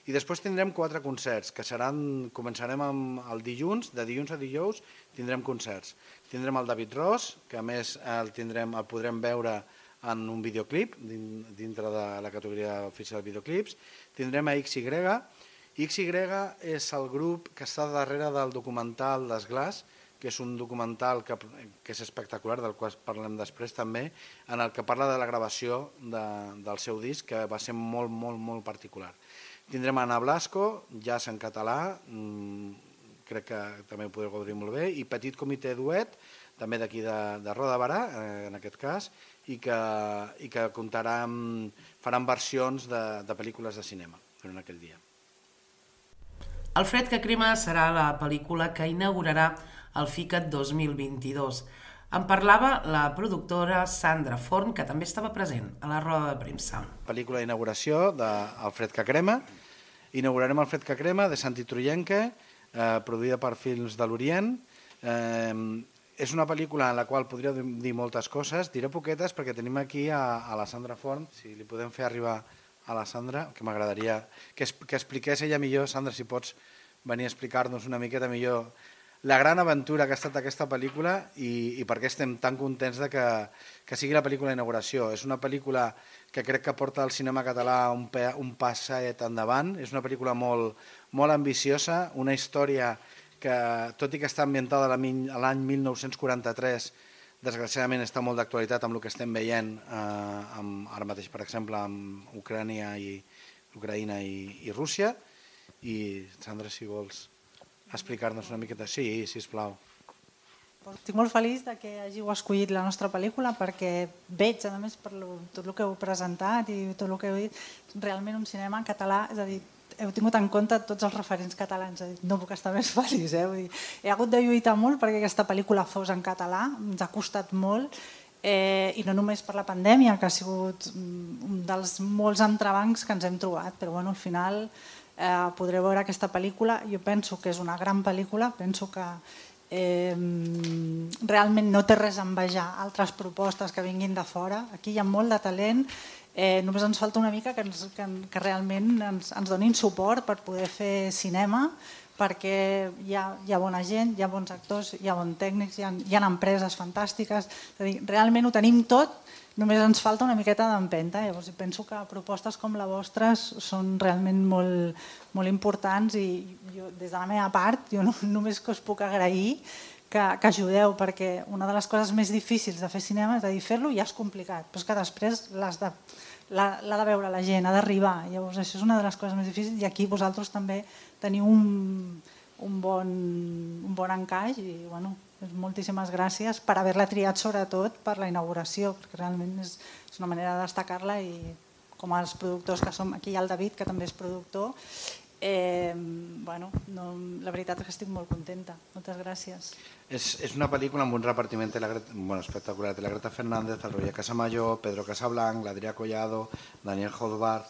I després tindrem 4 concerts, que començarem el dilluns, de dilluns a dijous tindrem concerts. Tindrem el David Ross, que a més el podrem veure en un videoclip, dintre de la categoria oficial de videoclips. Tindrem a XY. XY és el grup que està darrere del documental d'Esglaç, que és un documental que és espectacular, del qual parlem després també, en el que parla de la gravació del seu disc, que va ser molt, molt, molt particular. Tindrem Ana Blasco, jazz en català, crec que també ho podreu gaudir molt bé, i Petit Comitè Duet, també d'aquí de Roda de Barà, en aquest cas, i que faran versions de pel·lícules de cinema durant aquell dia. El fred que crema serà la pel·lícula que inaugurarà el FICAT 2022. En parlava la productora Sandra Forn, que també estava present a la roda de premsa. Pel·lícula d'inauguració d'El fred que crema. Inaugurarem El fred que crema, de Santi Truyenque, produïda per Films de l'Orient. És una pel·lícula en la qual podria dir moltes coses, diré poquetes perquè tenim aquí a la Sandra Forn, si li podem fer arribar a la Sandra, que m'agradaria que expliqués ella millor. Sandra, si pots venir a explicar-nos una miqueta millor la gran aventura que ha estat aquesta pel·lícula i per què estem tan contents que sigui la pel·lícula d'inauguració. És una pel·lícula que crec que porta al cinema català un passet endavant, és una pel·lícula molt, molt ambiciosa, una història que, tot i que està ambientada a l'any 1943, desgraciadament està molt d'actualitat amb el que estem veient ara mateix, per exemple, amb Ucraïna i Rússia. I, Sandra, si vols explicar-nos una miqueta. Sí, sisplau. Estic molt feliç que hàgiu escollit la nostra pel·lícula perquè veig, a més, per tot el que heu presentat i tot el que heu dit, realment un cinema en català, és a dir, heu tingut en compte tots els referents catalans, no puc estar més feliç. He hagut de lluitar molt perquè aquesta pel·lícula fos en català, ens ha costat molt, i no només per la pandèmia, que ha sigut un dels molts entrebancs que ens hem trobat, però al final podreu veure aquesta pel·lícula. Jo penso que és una gran pel·lícula, penso que realment no té res a envejar altres propostes que vinguin de fora. Aquí hi ha molt de talent, només ens falta una mica que realment ens donin suport per poder fer cinema, perquè hi ha bona gent, hi ha bons actors, hi ha bons tècnics, hi ha empreses fantàstiques, realment ho tenim tot, només ens falta una miqueta d'empenta. Llavors penso que propostes com la vostra són realment molt importants i jo, des de la meva part, jo només que us puc agrair que ajudeu, perquè una de les coses més difícils de fer cinema, és a dir, fer-lo ja és complicat, però és que després l'ha de veure la gent, ha d'arribar. Llavors això és una de les coses més difícils i aquí vosaltres també teniu un bon encaix i moltíssimes gràcies per haver-la triat, sobretot per la inauguració, perquè realment és una manera de destacar-la i com els productors que som, aquí hi ha el David, que també és productor, la veritat és que estic molt contenta. Moltes gràcies. És una pel·lícula amb un repartiment espectacular. La Greta Fernández, el Roger Casamayor, Pedro Casablanc, l'Adrià Collado, Daniel Hodbart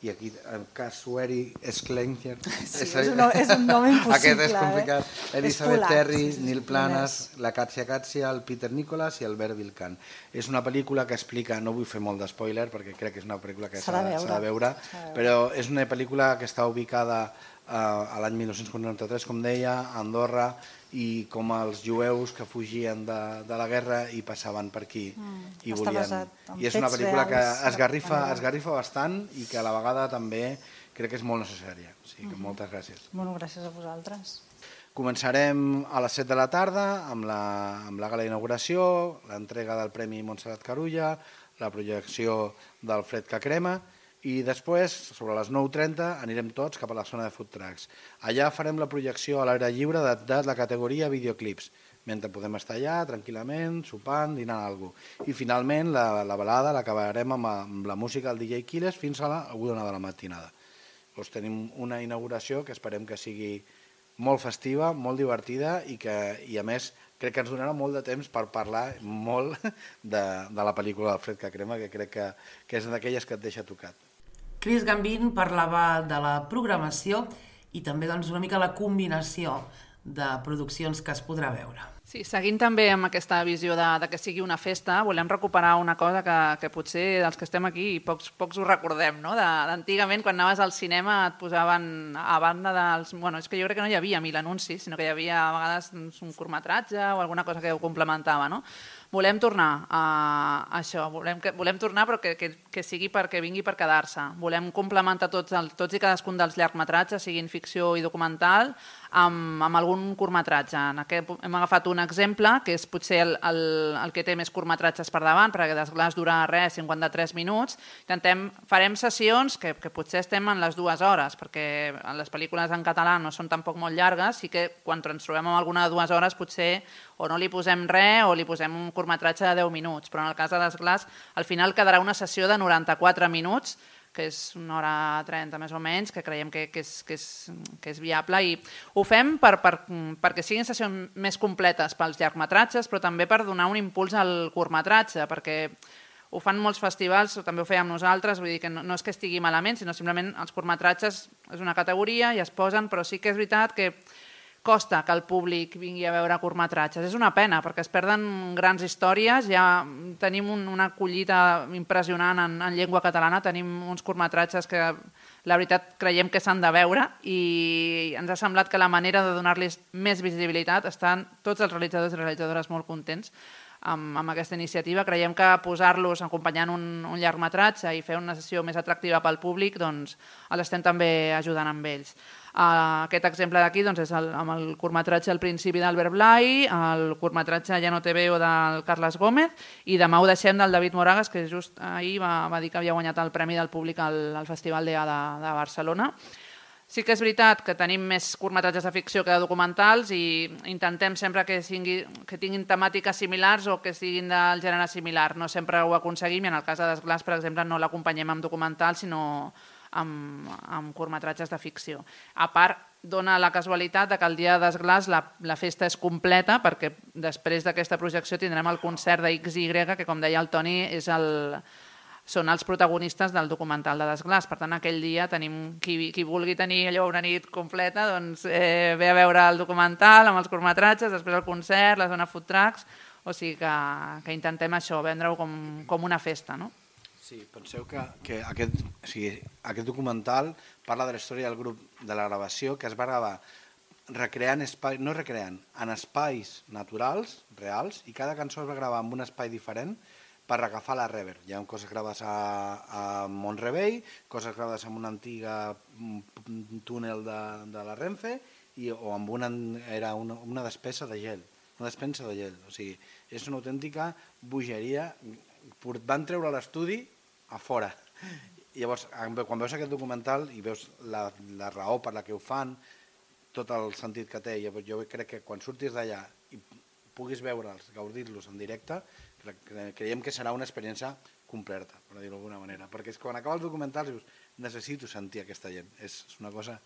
i aquí Casueri Sklenker. Sí, és un nom impossible. Aquest és complicat. Elisabeth Terry, Nil Planas, la Katja Katsia, el Peter Nicholas i el Albert Vilcan. És una pel·lícula que explica, no vull fer molt d'espoiler perquè crec que és una pel·lícula que s'ha de veure, però és una pel·lícula que està ubicada a l'any 1943, com deia, a Andorra, i com els jueus que fugien de la guerra i passaven per aquí i Està volien... basat en I és una fets pel·lícula que reals. esgarrifa bastant i que a la vegada també crec que és molt necessària. O sigui que moltes gràcies. Bueno, gràcies a vosaltres. Començarem a les 7 de la tarda amb la gala d'inauguració, l'entrega del Premi Montserrat Carulla, la projecció del Fred que crema i després, sobre les 9:30, anirem tots cap a la zona de food trucks. Allà farem la projecció a l'aire lliure de la categoria videoclips, mentre podem estar allà tranquil·lament, sopant, dinant alguna cosa. I finalment la balada l'acabarem amb la música del DJ Quiles fins a la 1 de la matinada. Doncs tenim una inauguració que esperem que sigui molt festiva, molt divertida i a més crec que ens donarà molt de temps per parlar molt de la pel·lícula del Fred que crema, que crec que és d'aquelles que et deixa tocat. Chris Gambin parlava de la programació i també doncs, una mica la combinació de produccions que es podrà veure. Sí, seguint també amb aquesta visió de que sigui una festa, volem recuperar una cosa que potser els que estem aquí pocs ho recordem, no? D'antigament, quan anaves al cinema et posaven a banda dels... Bueno, és que jo crec que no hi havia 1000 anuncis, sinó que hi havia a vegades un curtmetratge o alguna cosa que ho complementava, no? Volem tornar a això, volem tornar però que sigui perquè vingui per quedar-se. Volem complementar tots i cadascun dels llargmetratges, siguin ficció i documental, amb algun curtmetratge. Hem agafat un exemple, que és potser el que té més curtmetratges per davant, perquè Desglaç dura 53 minuts. Farem sessions que potser estem en les 2 hores, perquè les pel·lícules en català no són tampoc molt llargues, i que quan ens trobem amb alguna de 2 hores potser o no li posem res o li posem un curtmetratge de 10 minuts, però en el cas de Desglaç al final quedarà una sessió de 94 minuts, que és 1h30 més o menys, que creiem que és viable, i ho fem perquè siguin sessions més completes pels llargmetratges, però també per donar un impuls al curtmetratge, perquè ho fan molts festivals, també ho fèiem nosaltres, vull dir que no és que estigui malament, sinó simplement els curtmetratges és una categoria i es posen, però sí que és veritat que costa que el públic vingui a veure curtmetratges. És una pena, perquè es perden grans històries, ja tenim una collita impressionant en llengua catalana, tenim uns curtmetratges que la veritat creiem que s'han de veure i ens ha semblat que la manera de donar-los més visibilitat estan tots els realitzadors i realitzadores molt contents amb aquesta iniciativa. Creiem que posar-los acompanyant un llargmetratge i fer una sessió més atractiva pel públic, doncs els estem també ajudant amb ells. Aquest exemple d'aquí és amb el curtmetratge El principi d'Albert Blai, el curtmetratge Ja no te veo del Carles Gómez i Demà ho deixem del David Moragas, que just ahir va dir que havia guanyat el Premi del Públic al Festival d'EA de Barcelona. Sí que és veritat que tenim més curtmetratges de ficció que de documentals i intentem sempre que tinguin temàtiques similars o que siguin del gènere similar. No sempre ho aconseguim i en el cas de Desglaç, per exemple, no l'acompanyem amb documentals, sinó amb curtmetratges de ficció. A part, dona la casualitat que el dia de Desglaç la festa és completa, perquè després d'aquesta projecció tindrem el concert de XY, que com deia el Toni són els protagonistes del documental de Desglaç. Per tant, aquell dia tenim qui vulgui tenir allò una nit completa, doncs ve a veure el documental amb els curtmetratges, després el concert, la zona food trucks, o sigui que intentem això, vendre-ho com una festa, no? Sí, penseu que aquest documental parla de la història del grup de la gravació, que es va gravar en espais naturals, reals, i cada cançó es va gravar en un espai diferent per agafar la reverb. Hi ha coses gravades a Mont-rebei, coses gravades en una antiga túnel de la Renfe o amb una despensa de gel. O sigui, és una autèntica bogeria. Van treure l'estudi a fora. Llavors, quan veus aquest documental i veus la raó per la que ho fan, tot el sentit que té, jo crec que quan surtis d'allà i puguis veure'ls, gaudir-los en directe, creiem que serà una experiència completa, per dir-ho d'alguna manera. Perquè quan acaba el documental dius, necessito sentir aquesta gent. És una cosa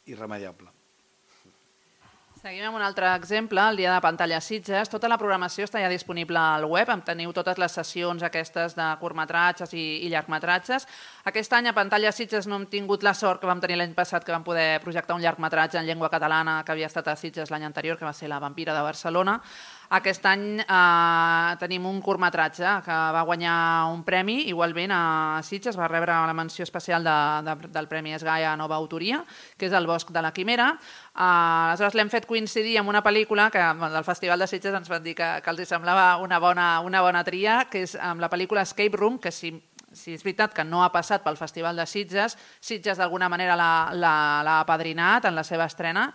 irremediable. Seguim amb un altre exemple, el dia de Pantalla Sitges. Tota la programació està ja disponible al web, teniu totes les sessions aquestes de curtmetratges i llargmetratges. Aquest any a Pantalla Sitges no hem tingut la sort que vam tenir l'any passat, que vam poder projectar un llargmetratge en llengua catalana que havia estat a Sitges l'any anterior, que va ser La vampira de Barcelona. Aquest any tenim un curtmetratge que va guanyar un premi, igualment a Sitges, va rebre la menció especial del Premi Esgai a Nova Autoria, que és El bosc de la quimera. Aleshores l'hem fet coincidir amb una pel·lícula que del Festival de Sitges ens van dir que els semblava una bona tria, que és amb la pel·lícula Escape Room, que si és veritat que no ha passat pel Festival de Sitges, Sitges d'alguna manera l'ha apadrinat en la seva estrena.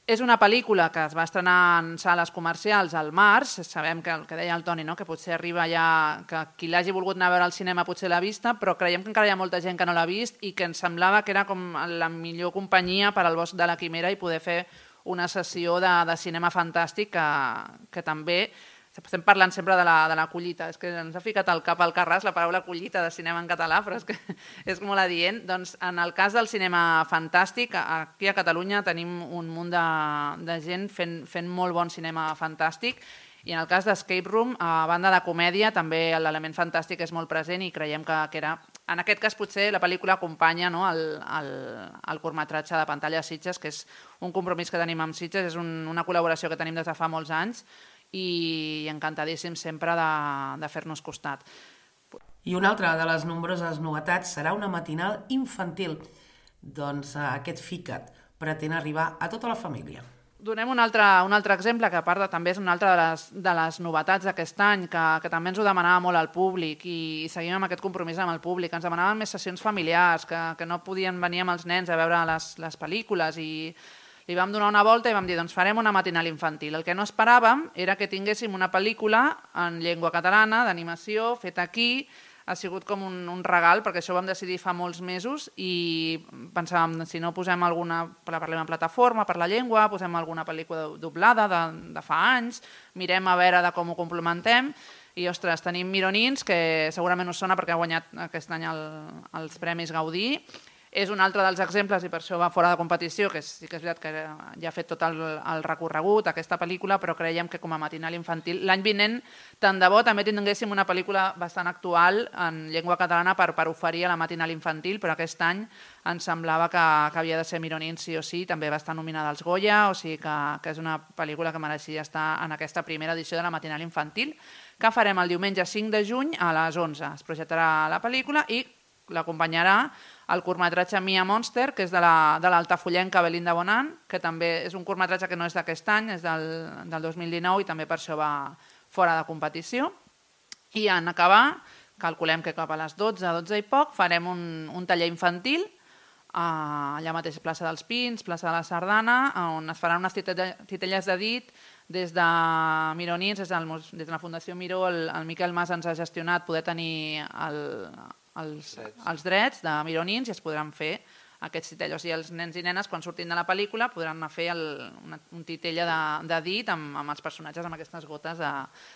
És una pel·lícula que es va estrenar en sales comercials al març, sabem que el que deia el Toni, que potser arriba ja, que qui l'hagi volgut anar a veure al cinema potser l'ha vista, però creiem que encara hi ha molta gent que no l'ha vist i que ens semblava que era com la millor companyia per al Bosc de la Quimera i poder fer una sessió de cinema fantàstic que també... Estem parlant sempre de la collita, és que ens ha ficat al cap al Carràs la paraula collita de cinema en català, però és que és molt adient. Doncs en el cas del cinema fantàstic, aquí a Catalunya tenim un munt de gent fent molt bon cinema fantàstic i en el cas d'Escape Room, a banda de comèdia, també l'element fantàstic és molt present i creiem que era... En aquest cas potser la pel·lícula acompanya el curtmetratge de Pantalla Sitges, que és un compromís que tenim amb Sitges, és una col·laboració que tenim des de fa molts anys i encantadíssim sempre de fer-nos costat. I una altra de les nombroses novetats serà una matinal infantil. Doncs aquest FICAT pretén arribar a tota la família. Donem un altre exemple, que a part també és una altra de les novetats d'aquest any, que també ens ho demanava molt al públic i seguim amb aquest compromís amb el públic. Ens demanaven més sessions familiars, que no podien venir amb els nens a veure les pel·lícules i li vam donar una volta i vam dir, doncs farem una matinal infantil. El que no esperàvem era que tinguéssim una pel·lícula en llengua catalana, d'animació, feta aquí. Ha sigut com un regal, perquè això ho vam decidir fa molts mesos i pensàvem, si no posem alguna, parlem en plataforma per la llengua, posem alguna pel·lícula doblada de fa anys, mirem a veure de com ho complementem i, ostres, tenim Mironins, que segurament us sona perquè ha guanyat aquest any els Premis Gaudí. És un altre dels exemples i per això va fora de competició, que sí que és veritat que ja ha fet tot el recorregut, aquesta pel·lícula, però creiem que com a matinal infantil, l'any vinent, tant de bo també tinguéssim una pel·lícula bastant actual en llengua catalana per oferir a la matinal infantil, però aquest any ens semblava que havia de ser Mironins sí o sí, també va estar nominada als Goya, o sigui que és una pel·lícula que mereixia estar en aquesta primera edició de la matinal infantil, que farem el diumenge 5 de juny a les 11. Es projectarà la pel·lícula i l'acompanyarà el curtmetratge Mia Monster, que és de l'altafollenca Belinda Bonan, que també és un curtmetratge que no és d'aquest any, és del 2019 i també per això va fora de competició. I en acabar, calculem que cap a les 12 i poc, farem un taller infantil allà mateix plaça dels Pins, plaça de la Sardana, on es faran unes titelles de dit des de Mironins, des de la Fundació Miró, el Miquel Mas ens ha gestionat poder tenir els drets de Mironins i es podran fer aquests titellos. I els nens i nenes, quan surtin de la pel·lícula, podran anar a fer un titella de dit amb els personatges, amb aquestes gotes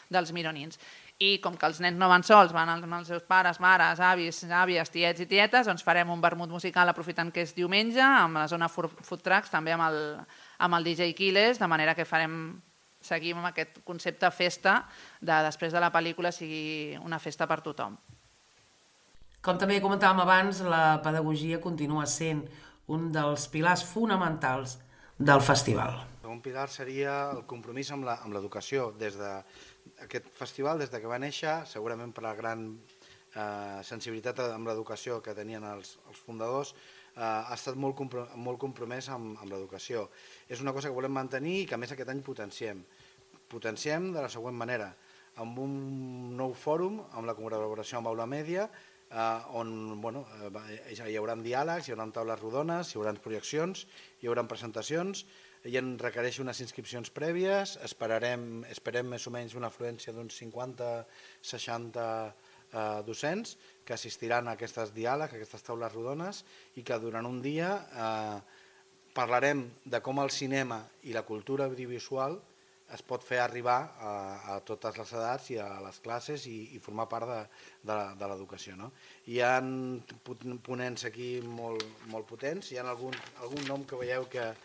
dels Mironins. I com que els nens no van sols, van amb els seus pares, mares, avis, àvies, tiets i tietes, doncs farem un vermut musical aprofitant que és diumenge, amb la zona food trucks, també amb el DJ Quiles, de manera que seguim amb aquest concepte festa, després de la pel·lícula sigui una festa per tothom. Com també comentàvem abans, la pedagogia continua sent un dels pilars fonamentals del festival. Un pilar seria el compromís amb l'educació. Des d'aquest festival, des que va néixer, segurament per la gran sensibilitat amb l'educació que tenien els fundadors, ha estat molt compromès amb l'educació. És una cosa que volem mantenir i que a més aquest any potenciem. Potenciem de la següent manera, amb un nou fòrum, amb la col·laboració amb Aula Mèdia, on hi haurà diàlegs, hi haurà taules rodones, hi haurà projeccions, hi haurà presentacions, i en requereix unes inscripcions prèvies, esperem més o menys una afluència d'uns 50-60 docents que assistiran a aquests diàlegs, a aquestes taules rodones, i que durant un dia parlarem de com el cinema i la cultura audiovisual es pot fer arribar a totes les edats i a les classes i formar part de l'educació. Hi ha ponents aquí molt potents, hi ha algun nom que veieu que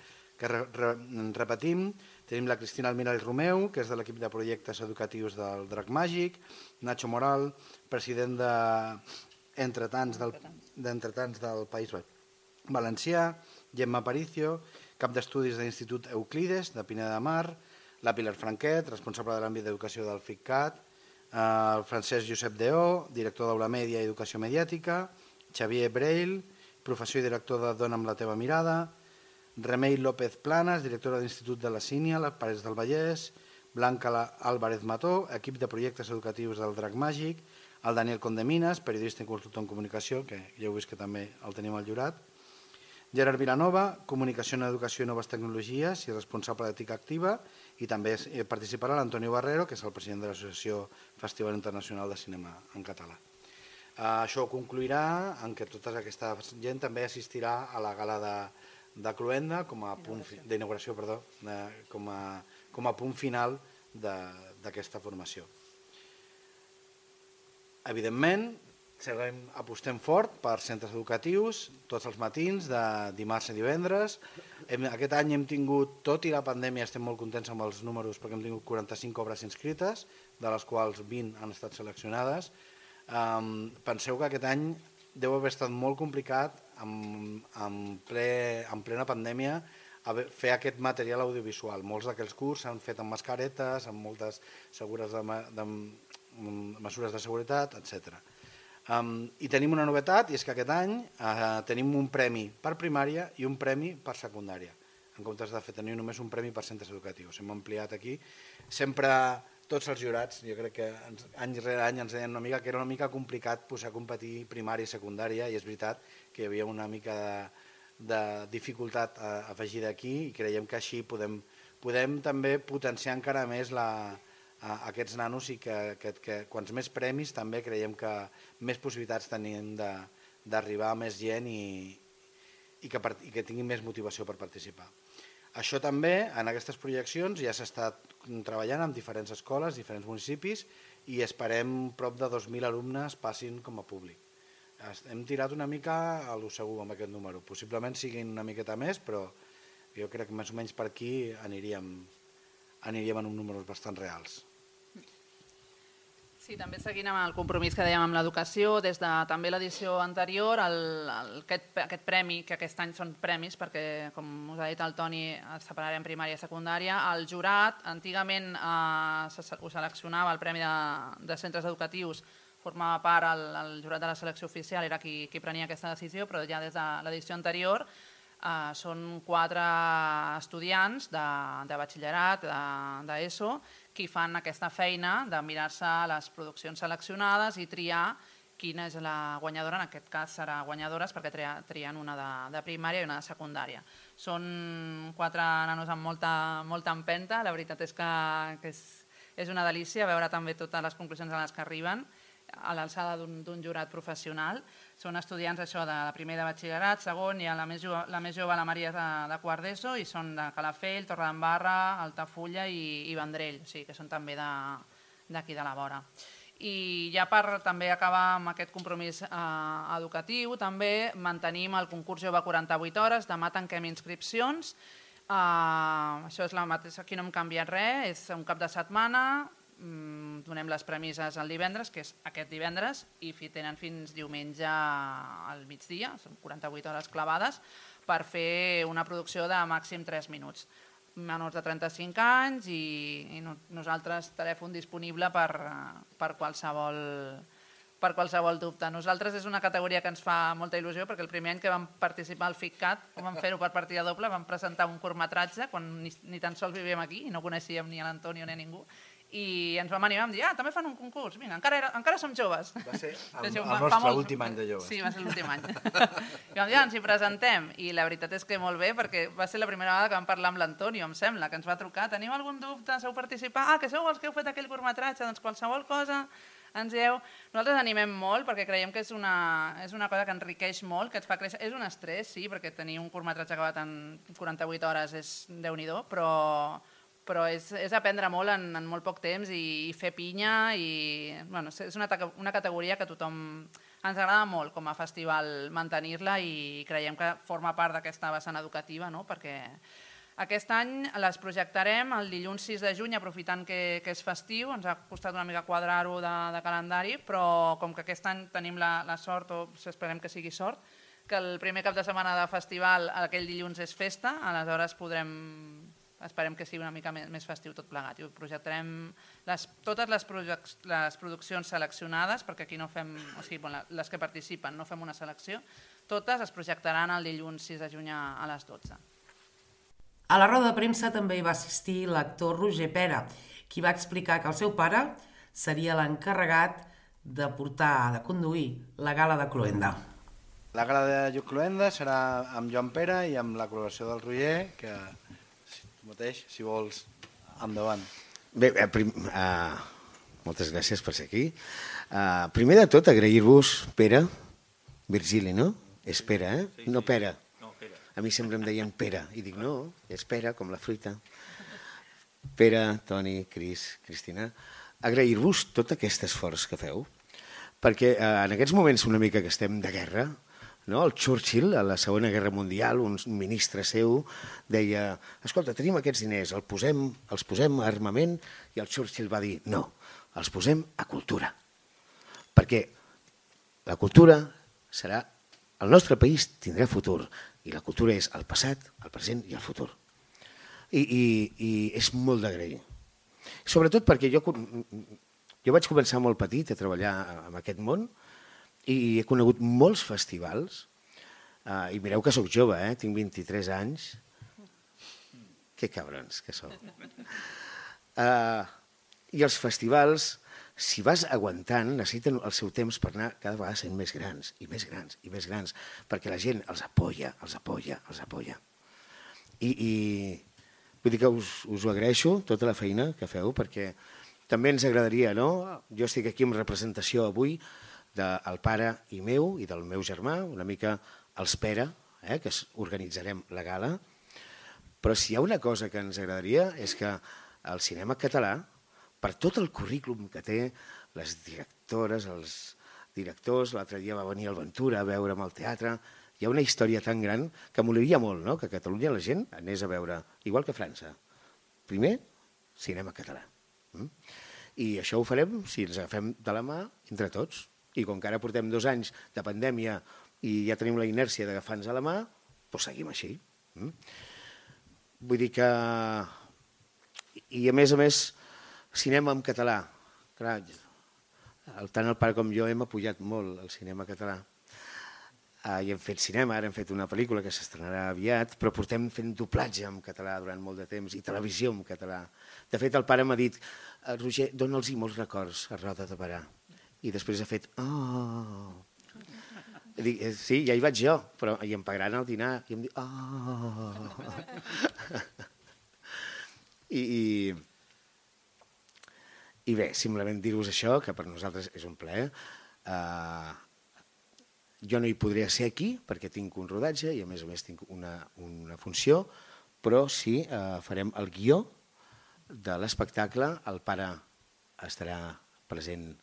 repetim. Tenim la Cristina Almirall Romeu, que és de l'equip de projectes educatius del Drac Màgic, Nacho Moral, president d'Entretants del País Valencià, Gemma Aparicio, cap d'estudis de l'Institut Euclides, de Pineda de Mar, la Pilar Franquet, responsable de l'àmbit d'educació del FICCAT, el Francesc Josep Deó, director d'Aula Mèdia i Educació Mediàtica, Xavier Breil, professor i director de Dona amb la teva mirada, Remei López Planas, directora de l'Institut de la Sínia, les Parets del Vallès, Blanca Álvarez Mató, equip de projectes educatius del Drac Màgic, el Daniel Condeminas, periodista i consultor en comunicació, que ja heu vist que també el tenim al jurat, Gerard Vilanova, comunicació en educació i noves tecnologies i responsable d'ètica activa, i també participarà l'Antonio Barrero, que és el president de l'Associació Festival Internacional de Cinema en Català. Això concluirà en què tota aquesta gent també assistirà a la gala de Cluenda d'inauguració, com a punt final d'aquesta formació. Evidentment, apostem fort per centres educatius tots els matins, de dimarts a divendres. Aquest any hem tingut, tot i la pandèmia, estem molt contents amb els números perquè hem tingut 45 obres inscrites, de les quals 20 han estat seleccionades. Penseu que aquest any deu haver estat molt complicat en plena pandèmia fer aquest material audiovisual. Molts d'aquells curs s'han fet amb mascaretes, amb moltes mesures de seguretat, etc. I tenim una novetat, i és que aquest any tenim un premi per primària i un premi per secundària, en comptes de tenir només un premi per centres educatius. Hem ampliat aquí. Sempre tots els jurats, jo crec que any rere any ens deien una mica que era una mica complicat posar a competir primària i secundària, i és veritat que hi havia una mica de dificultat afegida aquí, i creiem que així podem també potenciar encara més aquests nanos, i que quants més premis també creiem que més possibilitats tenim d'arribar a més gent i que tinguin més motivació per participar. Això també, en aquestes projeccions, ja s'està treballant en diferents escoles, diferents municipis, i esperem prop de 2.000 alumnes passin com a públic. Hem tirat una mica a lo segur amb aquest número. Possiblement siguin una miqueta més, però jo crec que més o menys per aquí aniríem en uns números bastant reals. Sí, també seguint amb el compromís que dèiem amb l'educació, des de també l'edició anterior, aquest premi, que aquest any són premis, perquè, com us ha dit el Toni, separarem primària i secundària, el jurat, antigament ho seleccionava, el premi de centres educatius, formava part, el jurat de la selecció oficial era qui prenia aquesta decisió, però ja des de l'edició anterior són 4 estudiants de batxillerat, d'ESO, qui fan aquesta feina de mirar-se les produccions seleccionades i triar quina és la guanyadora. En aquest cas serà guanyadores perquè trien una de primària i una de secundària. Són 4 nanos amb molta empenta, la veritat és que és una delícia veure també totes les conclusions a les que arriben a l'alçada d'un jurat professional. Són estudiants de primer de batxillerat, segon, i la més jove, la Maria, de quart d'ESO, i són de Calafell, Torredembarra, Altafulla i Vendrell, o sigui que són també d'aquí de la vora. I ja per també acabar amb aquest compromís educatiu, també mantenim el concurs Jove 48 hores, demà tanquem inscripcions, això és la mateixa, aquí no hem canviat res, és un cap de setmana, donem les premisses el divendres, que és aquest divendres, i tenen fins diumenge al migdia, són 48 hores clavades, per fer una producció de màxim 3 minuts. Menors de 35 anys i nosaltres telèfon disponible per qualsevol dubte. Nosaltres és una categoria que ens fa molta il·lusió, perquè el primer any que vam participar al FICCAT, vam fer-ho per partida doble, vam presentar un curtmetratge quan ni tan sols vivíem aquí i no coneixíem ni l'Antonio ni a ningú, i ens vam animar, vam dir, també fan un concurs, vinga, encara som joves. Va ser el nostre últim any de joves. Sí, va ser l'últim any. I vam dir, ens hi presentem, i la veritat és que molt bé, perquè va ser la primera vegada que vam parlar amb l'Antonio, em sembla, que ens va trucar, teniu algun dubte, sabeu participar? Que sou els que heu fet aquell curtmetratge, doncs qualsevol cosa ens dieu. Nosaltres animem molt, perquè creiem que és una cosa que enriqueix molt, que et fa créixer. És un estrès, sí, perquè tenir un curtmetratge acabat en 48 hores és Déu-n'hi-do, però és aprendre molt en molt poc temps i fer pinya, i és una categoria que a tothom ens agrada molt com a festival mantenir-la, i creiem que forma part d'aquesta vessant educativa, perquè aquest any les projectarem el dilluns 6 de juny, aprofitant que és festiu. Ens ha costat una mica quadrar-ho de calendari, però com que aquest any tenim la sort, o esperem que sigui sort, que el primer cap de setmana de festival aquell dilluns és festa, aleshores podrem esperem que sigui una mica més festiu tot plegat. I projectarem totes les produccions seleccionades, perquè aquí no fem, o sigui, les que participen no fem una selecció, totes es projectaran el dilluns 6 de juny a les 12. A la roda de premsa també hi va assistir l'actor Roger Pera, qui va explicar que el seu pare seria l'encarregat de conduir la gala de Cloenda. La gala de Cloenda serà amb Joan Pere i amb la col·laboració del Roger, que tu mateix, si vols, endavant. Bé, moltes gràcies per ser aquí. Primer de tot, agrair-vos, Pere, Virgili, no? És Pere, eh? No Pere. A mi sempre em deien Pere, i dic no, és Pere, com la fruita. Pere, Toni, Cristina, agrair-vos tot aquest esforç que feu, perquè en aquests moments una mica que estem de guerra, no? El Churchill, a la Segona Guerra Mundial, un ministre seu, deia, escolta, tenim aquests diners, els posem a armament, i el Churchill va dir, no, els posem a cultura, perquè la cultura serà, el nostre país tindrà futur, i la cultura és el passat, el present i el futur. I és molt d'agrair. Sobretot perquè jo vaig començar molt petit a treballar en aquest món, i he conegut molts festivals, i mireu que sóc jove, tinc 23 anys. Que cabrons que sou. I els festivals, si vas aguantant, necessiten el seu temps per anar cada vegada sent més grans, i més grans, i més grans, perquè la gent els apoya. I vull dir que us ho agraeixo, tota la feina que feu, perquè també ens agradaria, no? Jo estic aquí en representació avui del pare i meu i del meu germà, una mica els Pere, que organitzarem la gala, però si hi ha una cosa que ens agradaria és que el cinema català, per tot el currículum que té, les directores, els directors, l'altre dia va venir el Ventura a veure'm al teatre, hi ha una història tan gran que molaria molt, no? Que a Catalunya la gent anés a veure, igual que a França, primer cinema català. I això ho farem si ens agafem de la mà entre tots. I com que ara portem 2 anys de pandèmia i ja tenim la inèrcia d'agafar-nos a la mà, doncs seguim així. Vull dir que... I a més, cinema en català. Clar, tant el pare com jo hem apoyat molt el cinema català. I hem fet cinema, ara hem fet una pel·lícula que s'estrenarà aviat, però portem fent doblatge en català durant molt de temps i televisió en català. De fet, el pare m'ha dit, Roger, dona'ls-hi molts records a Roda de Berà. I després ha fet, oh... Dic, sí, ja hi vaig jo, però i em pagaran el dinar. I em diu, oh... I bé, simplement dir-vos això, que per nosaltres és un plaer. Jo no hi podria ser aquí, perquè tinc un rodatge i a més tinc una funció, però sí, farem el guió de l'espectacle, el pare estarà present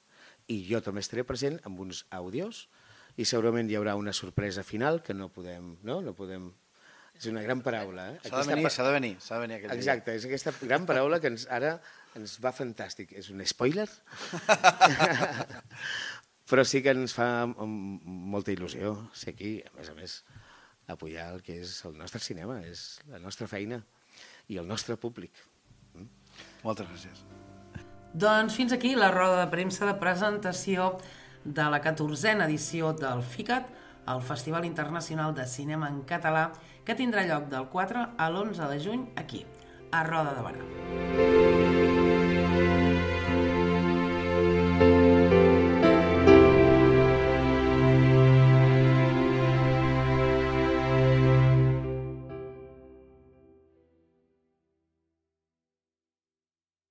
i jo també estaré present amb uns àudios i segurament hi haurà una sorpresa final que no podem... És una gran paraula. S'ha de venir aquell dia. Exacte, és aquesta gran paraula que ara ens va fantàstic. És un spoiler? Però sí que ens fa molta il·lusió ser aquí, a més, apoyar el que és el nostre cinema, és la nostra feina i el nostre públic. Moltes gràcies. Doncs fins aquí la roda de premsa de presentació de la 14a edició del FICAT, el Festival Internacional de Cinema en Català, que tindrà lloc del 4 a l'11 de juny aquí, a Roda de Berà.